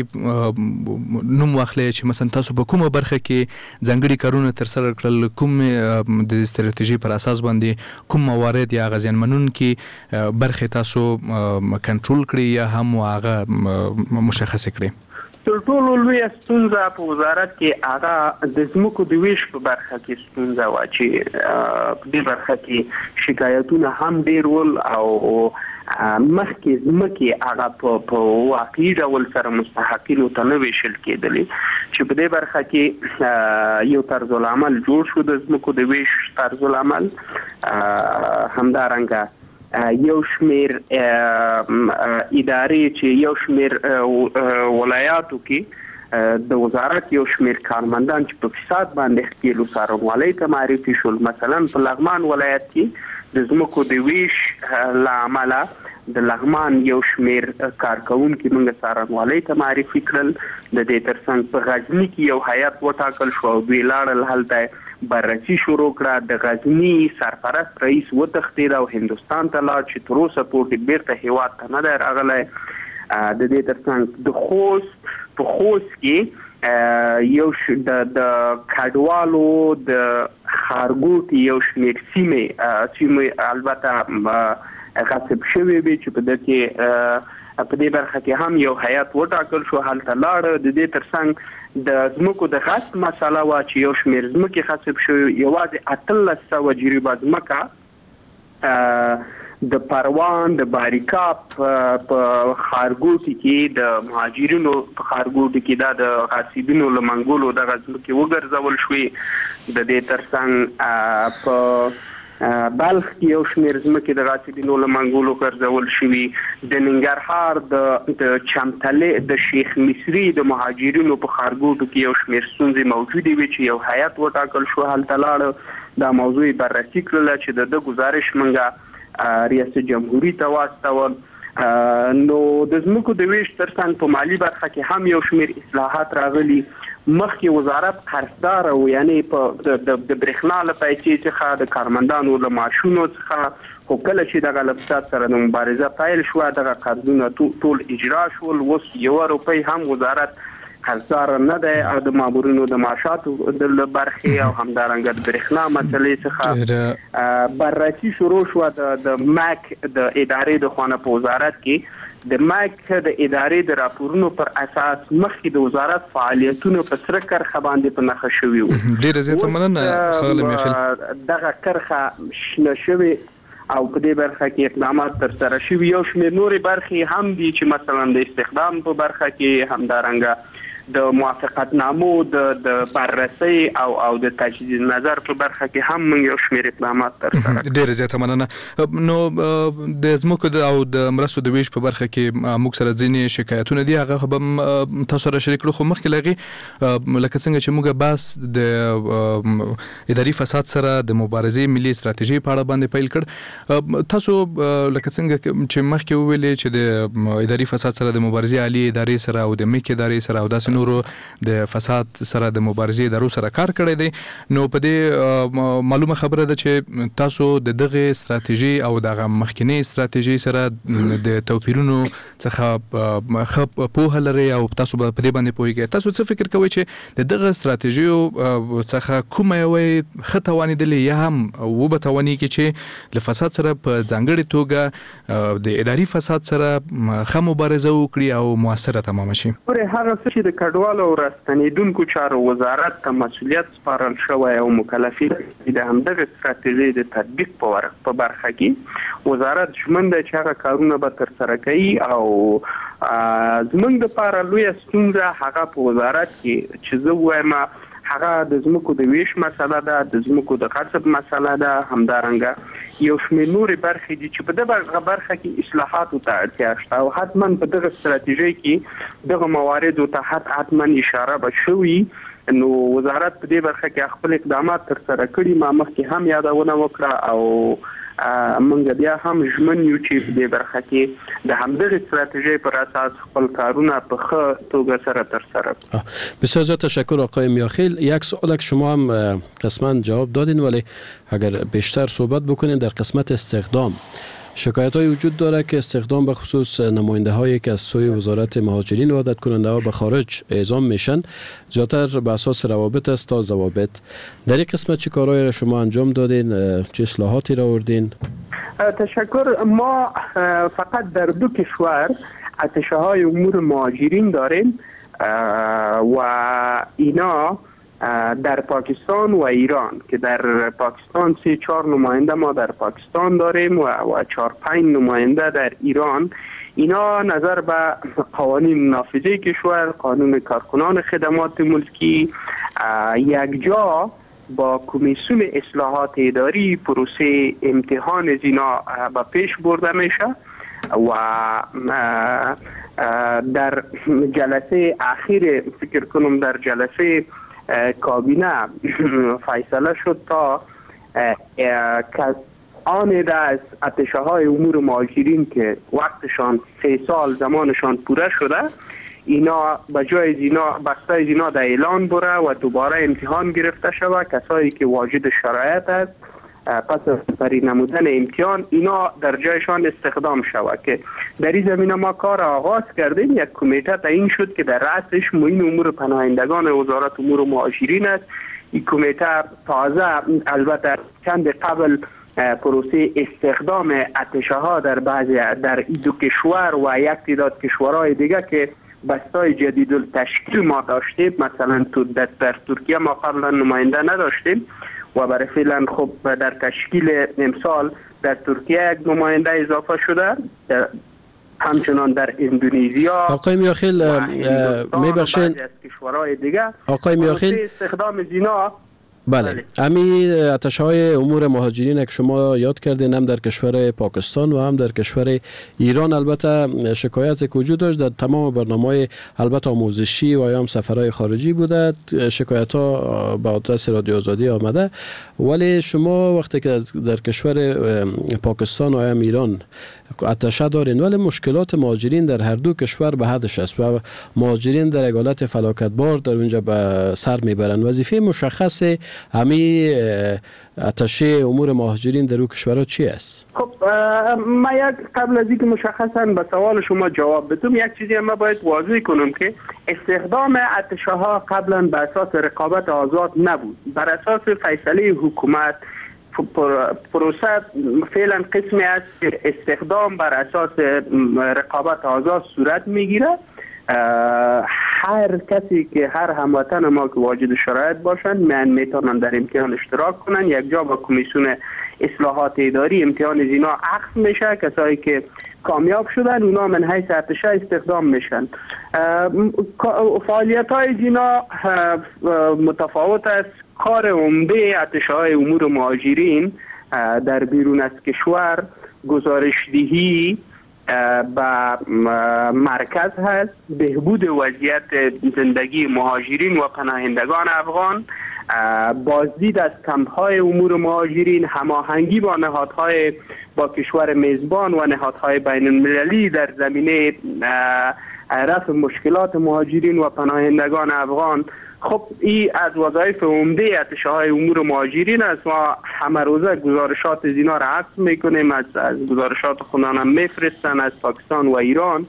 نوم واخلئ چې مثلا تاسو په کومه برخه کې ځانګړي کارونه ترسره کړل، کوم د ستراتیژۍ پر اساس باندې کوم موارد یا هغه زیانمنونکي برخې تاسو کنټرول کړې یا هم هغه مشخصې کړې؟ تر ټولو لویه ستونزه په وزارت کې هغه د ځمکو د ویش په برخه کې ستونزه وه چې په دې برخه کې شکایتونه هم ډېر ول او مخکې ځمکې هغه په واقعي ډول سره مستحقینو ته نه ویشل کېدلې، چې په دې برخه کې یو طرزالعمل جوړ شو، د ځمکو د ویش طرزالعمل. همدارنګه یو شمېر ادارې چې یو شمېر ولایاتو کې د وزارت یو شمېر کارمندان چې په فساد باندې ښکېل وو څارنوالۍ ته معرفي شول. مثلا په لغمان ولایت کې د ځمکو د ویش له امله د لغمان یو شمېر کارکوونکي موږ څارنوالۍ ته معرفي کړل. د دې ترڅنګ په غزني کې یو هیئت وټاکل شو او دوی لاړل هلته بررسي شروع کړه. د غزني سرپرست رئیس وتښتېد او هندوستان ته لاړ چې تر اوسه پورې بیرته هیواد ته نه دی راغلی. د دې ترڅنګ د خوست په خوست کې یو د کډوالو د ښارګوټي یو شمېر سیمې البته غصب شوې وې چې په ده کې په دې برخه کې هم یو هیئت وټاکل شو، هلته لاړ. د دې ترڅنګ د ځمکو د غصب مسله وه چې یو شمېر ځمکې غصب شوې، یوازې 1800 جریبه ځمکه د پروان د باریکاب په ښارګوټي کې د مهاجرینو په ښارګوټي کې دا د غاصبینو له منګولو دغه ځمکې وګرځول شوې. د دې ترڅنګ په بلخ کې یو شمېر ځمکې د غاصبینو له منګولو ګرځول شوي. د ننګرهار د چمتلې د شیخ مصري د مهاجرینو په ښارګوټو کې یو شمېر ستونزې موجودې وې چې یو هیئت وټاکل شو، هلته لاړ، دا موضوع یې بررسي کړله چې د ده ګزارش موږ ریاست جمهوري ته واستول. نو د ځمکو د ویش ترڅنګ په مالي برخه کې هم یو شمېر اصلاحات راغلي. مخکې وزارت قرضدار و، یعنی په د برېښنا له پیسې څخه، د کارمندانو له معاشونو څخه، خو کله چې دغه له فساد سره د مبارزه پیل شوه دغه قرضونه ټول اجرا شول. اوس یوه روپۍ هم وزارت قرضدار نه دی او د مامورینو د معاشاتو له برخې او همدارنګه د برېښنا مسلې څخه بررسي شروع شوه. د مک د ادارې د خوا نه په وزارت کې د مک د ادارې د راپورونو پر اساس مخکې د وزارت فعالیتونه په سره کرښه باندې په نښه شوي وو. ډېره زیاته مننه ښاغلی میاخیل. دغه کرښه شنه شوې او په دې برخه کې اقدامات ترسره شوي. یو شمېر نورې برخې هم دي چې مثلا د استخدام په برخه کې، همدارنګه د موافقتنامو د بررسۍ او د تجدید نظر په برخه کې هم موږ یو شمېر اقدامات ترسره کړل. ډېره زیاته مننه. نو د ځمکو او د مرستو د ویش په برخه کې موږ سره ځینې شکایتونه دي، هغه به هم تاسو سره شریک کړو. خو مخکې له هغې لکه څنګه چې موږ بحث د اداري فساد سره د مبارزې ملي ستراتیژۍ په اړه باندې پیل کړ، تاسو لکه څنګه چې مخکې وویلې چې د اداري فساد سره د مبارزې عالي ادارې سره او د میک ادارې سره او داسې نورو د فساد سره د مبارزې ادارو سره کار کړی دی، نو په دې معلومه خبره ده چې تاسو د دغې ستراتیژۍ او دغه مخکینۍ ستراتیژۍ سره د توپیرونو څخه ښه پوهه لرئ او تاسو به په دې باندې پوهیږئ. تاسو څه فکر کوئ چې د دغه ستراتیژیو څخه کومه یوه یې ښه توانېدلې یا هم وبه توانېږي چې له فساد سره په ځانګړې توګه د اداري فساد سره ښه مبارزه وکړي او موثره تمامه شي؟ ګورئ، هغه څه چې د کډوالو او راستنېدونکو چارو وزارت ته مسؤلیت سپارل شوی او مکلفیت لري، د همدغې ستراتیژۍ د تطبیق په برخه کې وزارت ژمن دی چې هغه کارونه به ترسره کوي. او زموږ دپاره لویه ستونزه هغه په وزارت کې چې زه ووایم هغه د ځمکو د ویش مسله ده، د ځمکو د غصب مسله ده، همدارنګه یو شمېر نورې برخې دي چې په دغه برخه کې اصلاحاتو ته اړتیا شته او حتما په دغه ستراتیژۍ کې دغه مواردو ته حتما اشاره به شوي. نو وزارت په دې برخه کې خپل اقدامات ترسره کړي. ما مخکې هم یادونه وکړه او موږ بیا هم ژمن یو چې په دې برخه کې د همدغې ستراتیژۍ پر اساس خپل کارونه په ښه توګه سره ترسره کړو. بسیار زیاد تشکر آقای میاخیل. یک سوال که شما هم قسما جواب دادین، ولی اگر بیشتر صحبت بکنین در قسمت استخدام شکایت های وجود داره که استخدام به خصوص نماینده هایی که از سوی وزارت مهاجرین وادت کننده ها به خارج اعزام میشن زیادتر به اساس روابط است تا ضوابط. در این قسمت چه کارهایی را شما انجام دادین، چه اصلاحاتی را آوردین؟ تشکر. ما فقط در دو کشور اتشه های امور مهاجرین داریم و اینا در پاکستان و ایران، که در پاکستان 3-4 نماینده ما در پاکستان داریم و 4-5 نماینده در ایران. اینا نظر به قوانین نافذه کشور، قانون کارکنان خدمات ملکی، یک جا با کمیسیون اصلاحات اداری پروسه امتحان زینا به پیش برده میشه و در جلسه اخیر فکر کنم در جلسه کابینه فیصله شد تا آن عده از اتشه های امور مهاجرین که وقتشان 3 سال زمانشان پوره شده، اینا به جای اینا بسته اینا در اعلان بره و دوباره امتحان گرفته شود. کسایی که واجد شرایط است پس از سپری نمودن امتحان اینا در جایشان استخدام شود که در این زمینه ما کار آغاز کردیم. یک کمیته تعیین شد که در رأسش معین امور پناهندگان وزارت امور مهاجرین است. این کمیته تازه البته چند قبل پروسه استخدام اتشه ها در بعضی در دو کشور و یک تعداد کشورهای دیگه که بستای جدید التشکیل ما داشتیم، مثلا در ترکیه ما قبلا نماینده نداشتیم و برای فعلا خب در تشکیل امسال در ترکیه یک نماینده اضافه شده، همچنان در اندونزیا. آقای میاخیل میبخشین، کشورهای دیگه آقای میاخیل استخدام زینا بله، امی اتشهای امور مهاجرین که شما یاد کردین هم در کشور پاکستان و هم در کشور ایران البته شکایت که وجود داشت در تمام برنامه‌های البته آموزشی و یا هم سفرهای خارجی بوده، شکایت ها به آدرس رادیو آزادی آمده. ولی شما وقتی که در کشور پاکستان و هم ایران اتشه دارین، ولی مشکلات مهاجرین در هر دو کشور به حدش است و مهاجرین در حالت فلاکتبار در اونجا به سر میبرند. وظیفه مشخص همی اتشه امور مهاجرین در او کشورها چی است؟ خب ما یک قبل از اینکه مشخصا به سوال شما جواب بدم یک چیزی ما باید واضح کنم که استخدام اتشه ها قبلا به اساس رقابت آزاد نبود، بر اساس فیصله حکومت پروسه فعلا قسمی است که استخدام بر اساس رقابت آزاد صورت میگیره. هر کسی که هر هموطن ما که واجد شرایط باشند من میتونن در امتحان اشتراک کنن. یک جا با کمیسیون اصلاحات اداری امتحان زینا اخذ میشه، کسایی که کامیاب شدن اونا من حیث ارتشا استخدام میشن. فعالیت های زینا متفاوت است. کار عمده اتشاهای امور مهاجرین در بیرون از کشور گزارش دهی به مرکز هست، بهبود وضعیت زندگی مهاجرین و پناهندگان افغان، بازدید از کمپ‌های امور مهاجرین، هماهنگی با نهادهای با کشور میزبان و نهادهای بین المللی در زمینه رفع مشکلات مهاجرین و پناهندگان افغان. خب این از وظایف عمده اتشاهای امور مهاجرین است. ما همه روزه گزارشات زینا را عکس میکنیم، از گزارشات خودمان هم میفرستن از پاکستان و ایران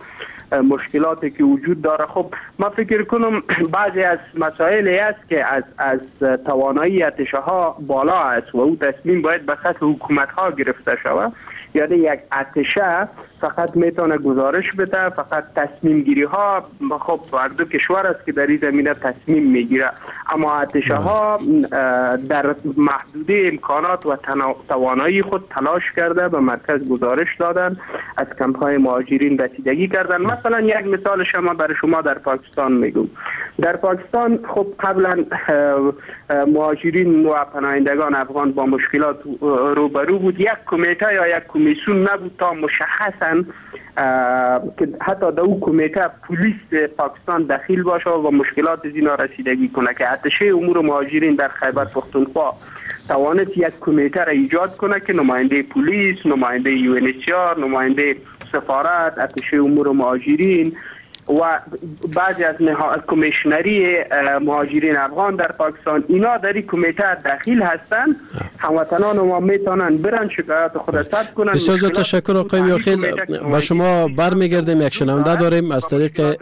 مشکلاتی که وجود داره. خب ما فکر کنم بعضی از مسائل است که از توانایی اتشاها بالا است و او تصمیم باید به سطح حکومت ها گرفته شود. یعنی یک اتشه فقط میتونه گزارش بده، فقط تصمیم گیری ها خب هر دو کشور است که در این زمینه تصمیم میگیره، اما اتشه ها در محدوده امکانات و توانایی خود تلاش کرده به مرکز گزارش دادن، از کمپ های مهاجرین رسیدگی کردن. مثلا یک مثال شما برای شما در پاکستان میگم. در پاکستان خب قبلا مهاجرین و پناهندگان افغان با مشکلات روبرو بود. یک کمیته یا یک کمیسیون نبود تا مشخصا که حتی در او کمیته پلیس پاکستان دخیل باشه و مشکلات زینا رسیدگی کنه که اتشه امور مهاجرین در خیبر پختونخوا توانست یک کمیته را ایجاد کنه که نماینده پلیس، نماینده UNHCR، نماینده سفارت، اتشه امور مهاجرین و بعضی از کمیشنری مهاجرین افغان در پاکستان، اینا در این کمیته دخیل هستند. هموطنان ما میتونن برن شکایت خود را ثبت کنن. بسیار تشکر آقای میاخیل. با شما برمیگردیم، یک شنونده داریم از طریق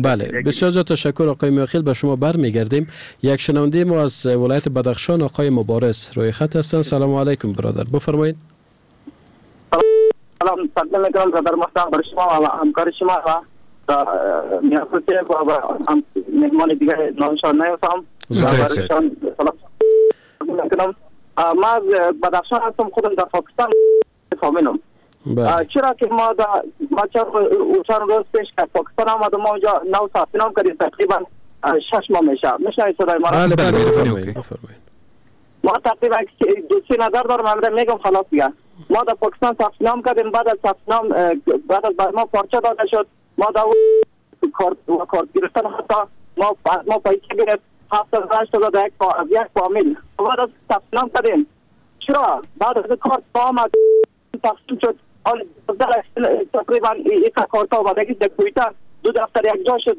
بله. بسیار تشکر آقای میاخیل، با شما برمیگردیم. یک شنونده ما از ولایت بدخشان آقای مبارز روی خط هستند. سلام علیکم برادر، بفرمایید. سلام تقدیم میکنم برادر محترم، بر شما و همکار شما و و مهمان دیگه نامشان نیفتم. سلام میکنم. ما از بدخشان هستم، خودم در پاکستان فامیلم. چرا که ما ما چند روز پیش که پاکستان آمدم، ما اونجا نو ثبت نام کردیم، تقریبا 6 ماه میشه. میشنوید صدای ما؟ بله بله بفرمایید. ما تقریبا 2-3 نظر دارم، میگم خلاص دیگه. ما در پاکستان ثبت نام کردیم، بعد از ثبت نام بعد از ما پارچه داده شد، ما در کارت گرفتن حتی ما پیسه گرفت 7-8 هزار از یک فامیل. بعد از ثبت نام کردیم، چرا بعد از کارت آمد تقسیم شد، حال تقریبا یک کارت آمدگی در کویته دو دفتر یک جا شد،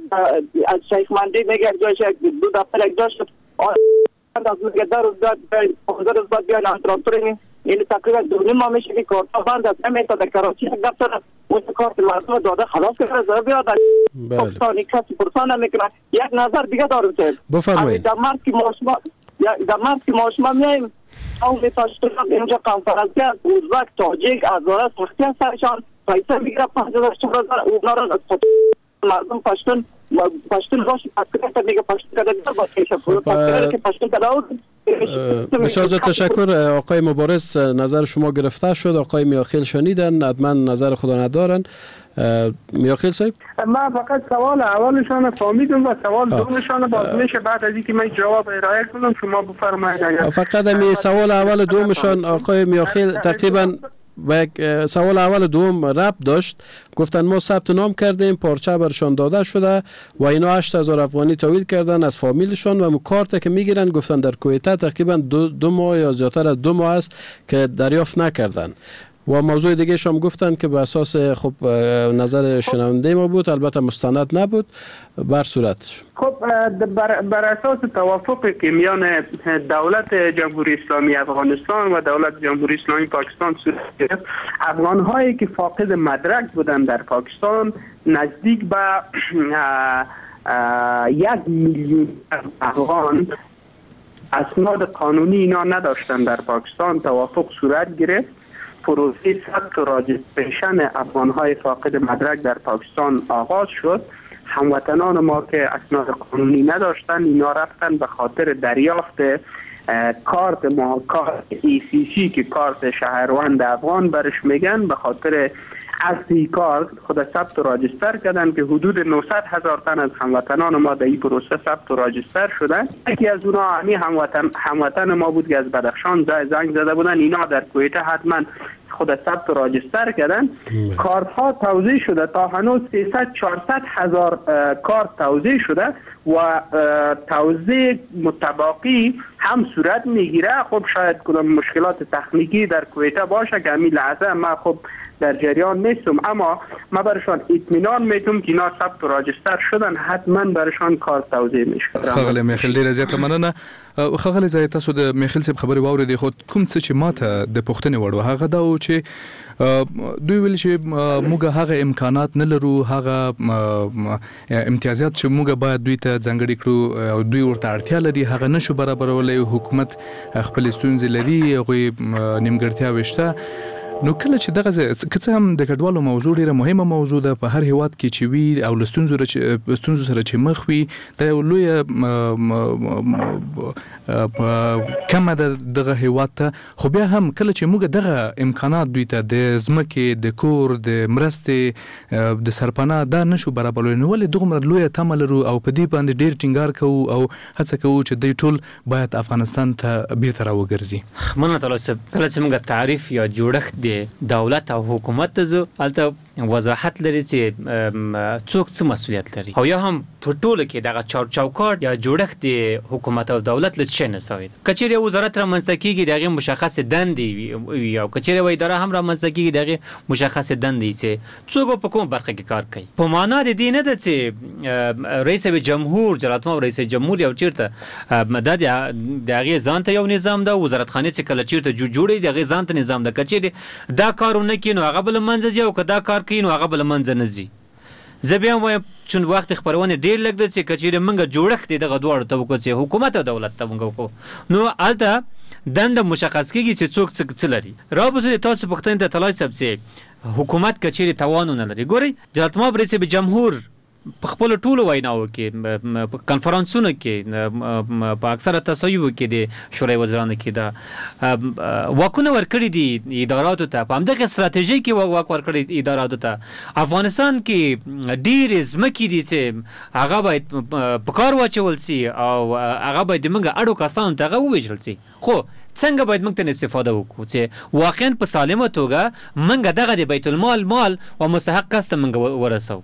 از شیخ مندی میگه یک جا شد، دو دفتر یک جا شد. از میگه 10 روز بعد، 15 روز بعد بیاین انترانتور. یعنی تقریبا 2.5 ماه میشه که کارت بند است. نمیتونه در کراچی یک دفتر است، اون کارت مردم داده خلاص کرده بیاد. بله. کسی پرسان نمیکنه. یک نظر دیگه دارم که بفرمایید. در مرز که ما شما میایم او میپاشتون اینجا کنفرانس است، ازبک، تاجیک، هزاره سختی است سرشان، پیسه میگیره 5000 4000 اونا را مردم پشتون باشه پس میگه پشتون کرده باشه که پشتون کرده. بسیار تشکر آقای مبارز، نظر شما گرفته شد. آقای میاخیل شنیدن، حتما نظر خدا ندارن. میاخیل صاحب، من فقط سوال اولشان فهمیدم و سوال دومشان باز میشه بعد از اینکه من جواب ارائه کنم شما بفرمایید. فقط می سوال اول دومشان آقای میاخیل تقریبا و یک سوال اول دوم ربط داشت. گفتن ما ثبت نام کردیم، پارچه برشان داده شده و اینا 8000 افغانی تحویل کردن از فامیلشان و کارت که میگیرن گفتن در کویته تقریبا دو ماه یا زیادتر از 2 ماه است که دریافت نکردن. و موضوع دیگه شام گفتن که به اساس خب نظر شنونده ما بود، البته مستند نبود، بر صورت خب بر اساس توافقی که میان دولت جمهوری اسلامی افغانستان و دولت جمهوری اسلامی پاکستان صورت گرفت، افغان هایی که فاقد مدرک بودند در پاکستان نزدیک به 1 میلیون افغان اسناد قانونی اینا نداشتند در پاکستان. توافق صورت گرفت، پروسه ثبت و registration افغان‌های فاقد مدرک در پاکستان آغاز شد. هموطنان ما که اسناد قانونی نداشتن اینا رفتن به خاطر دریافت کارت ما، کارت ECC که کارت شهروند افغان برش میگن، به خاطر اصلی کارت خود ثبت و register کردن که حدود 900,000 تن از هموطنان ما در این پروسه ثبت و register شدن. یکی از اونها همی هموطن ما بود که از بدخشان زنگ زده بودن، اینا در کویته حتما خود ثبت و register کردن. کارت ها توزیع شده، تا هنوز 300-400 هزار کارت توزیع شده و توزیع متباقی هم صورت میگیره. خب شاید کدام مشکلات تکنیکی در کویته باشه که همین لحظه ما خب در جریان نیستم، اما ما برشان اطمینان میتم که اینا ثبت و register شدن، حتما برشان کارت توزیع میشه. ښاغلی میخیل ډیره زیاته مننه. ښاغلی زاهد، تاسو د میخیل صاحب خبرې واورېدې، خو کوم څه چې ماته د پوښتنې وړ و هغه دا و چې دوی ویل چې موږ هغه امکانات نه لرو، هغه امتیازات چې موږ باید دوی ته ځانګړي کړو او دوی ورته اړتیا لري هغه نشو برابرولی، حکومت خپلې ستونزې لري، هغوی نیمګړتیاوې شته. نو کله چې دغه که څه هم د کډوالو موضوع ډیره مهمه موضوع ده، په هر هیواد کې چې وي او له ستونزو سره چې مخ وي، دا یو لویه کمه ده دغه هیواد ته. خو بیا هم کله چې موږ دغه امکانات دوی ته د ځمکې، د کور، د مرستې، د سرپناه دا نشو برابرولی، نو ولې دغومره لویه تمه لرو او په دې باندې ډیر ټینګار کوو او هڅه کوو چې دوی ټول باید افغانستان ته بیرته راوګرځي؟ مننه طلال صاحب. کله چې موږ تعریف یا جوړښت دی دولت او حکومت ته ځو، هلته وضاحت لري چې څوک څه مسؤلیت لري، او یا هم په ټولو کې دغه چوکاټ یا جوړښت د حکومت او دولت له څه نه سوی ده. که چیرې یو وزارت رامنځته کېږي د هغې مشخصې دندې وي، او که چیرې یوه اداره هم رامنځته کېږي د هغې مشخصې دندې چې څوک به په کومه برخه کې کار کوي. په معنا د دې نه ده چې رئیس جمهور، جلالتمآب رئیس جمهور یو چیرته دا د هغې ځان ته یو نظام ده، وزارتخانې چې کله چیرته جوړې د هغې ځان ته نظام ده. که چیرې دا کار ونه کړي نو هغه به له منځه ځي، او که دا کار کوي نو هغه به له منځه نه ځي. زه بیا هم وایم چون وخت خپرونې ډېر لږ ده چې که چیرې موږ جوړښت یې دغه دواړو ته وکړو چې حکومت او دولت ته موږ وکړو، نو هلته دنده مشخص کېږي چې څوک څه لري. را به شو د تاسو پوښتنې ته طلای صاحب چې حکومت که چیرې توان ونه لري، ګورئ جلالتمآب رئیس جمهور په خپلو ټولو ویناوو کې، په کنفرانسونو کې، په اکثره تصویبو کې د شورای وزیرانو کې دا واکونه ورکړي دي اداراتو ته، په همدغه ستراتیژۍ کې واک ورکړي اداراتو ته. افغانستان کې ډېرې ځمکې دي چې هغه باید په کار واچول سي او هغه باید د موږ اړو کسانو ته هغه وویشل سي. خو څنګه باید موږ ته استفاده وکړو چې واقعا په سالمه توګه موږ دغه د بیت المال مال و مستحق کس ته موږ ورسوو.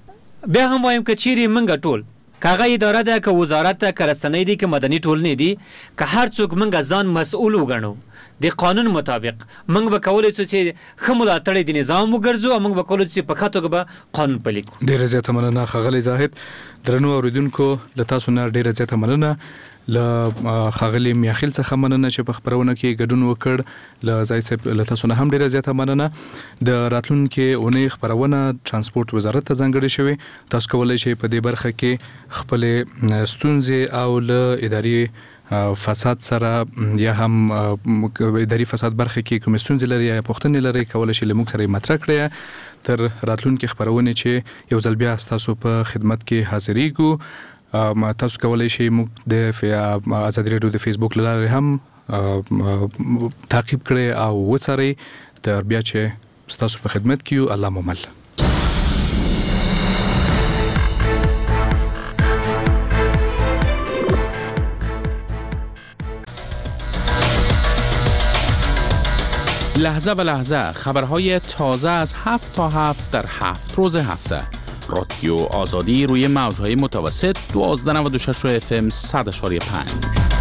بیا هم وایم که چیرې موږ ټول که هغه اداره ده، که وزارت ده، که رسنۍ دي، که مدني ټولنې دي، که هر څوک موږ ځان مسؤل وګڼو د قانون مطابق، موږ به کولی شو چې ښه ملاتړی د نظام وګرځو او موږ به کولی شو چې په ښه توګه به قانون پلی کړو. ډېره زیاته مننه ښاغلی زاهد. درنو اورېدونکو له تاسو نه ډېره زیاته مننه، له ښاغلي میاخیل څخه مننه چې په خپرونه کې ګډون وکړ، له زاهد صاحب له تاسو نه هم ډېره زیاته مننه. د راتلونکې اونۍ خپرونه ترانسپورت وزارت ته ځانګړې شوې، تاسو کولی شئ په دې برخه کې خپلې ستونزې او له اداري فساد سره یا هم اداري فساد برخه کې کومې ستونزې لرئ یا پوښتنې لرئ کولی شئ له موږ سره یې مطرح کړئ. تر راتلونکې خپرونې چې یو ځل بیا ستاسو په خدمت کې حاضرېږو، تاسو کولی شئ موږ د ازادي راډیو د فیسبوک له لارې هم تعقیب کړئ او وڅارئ. تر بیا چې ستاسو په خدمت کې یو، الله مو مل. لحظه به لحظه خبرهای تازه از 7 تا 7 در 7 روز هفته. رادیو آزادی روی موجهای متوسط 1296 FM 100.5.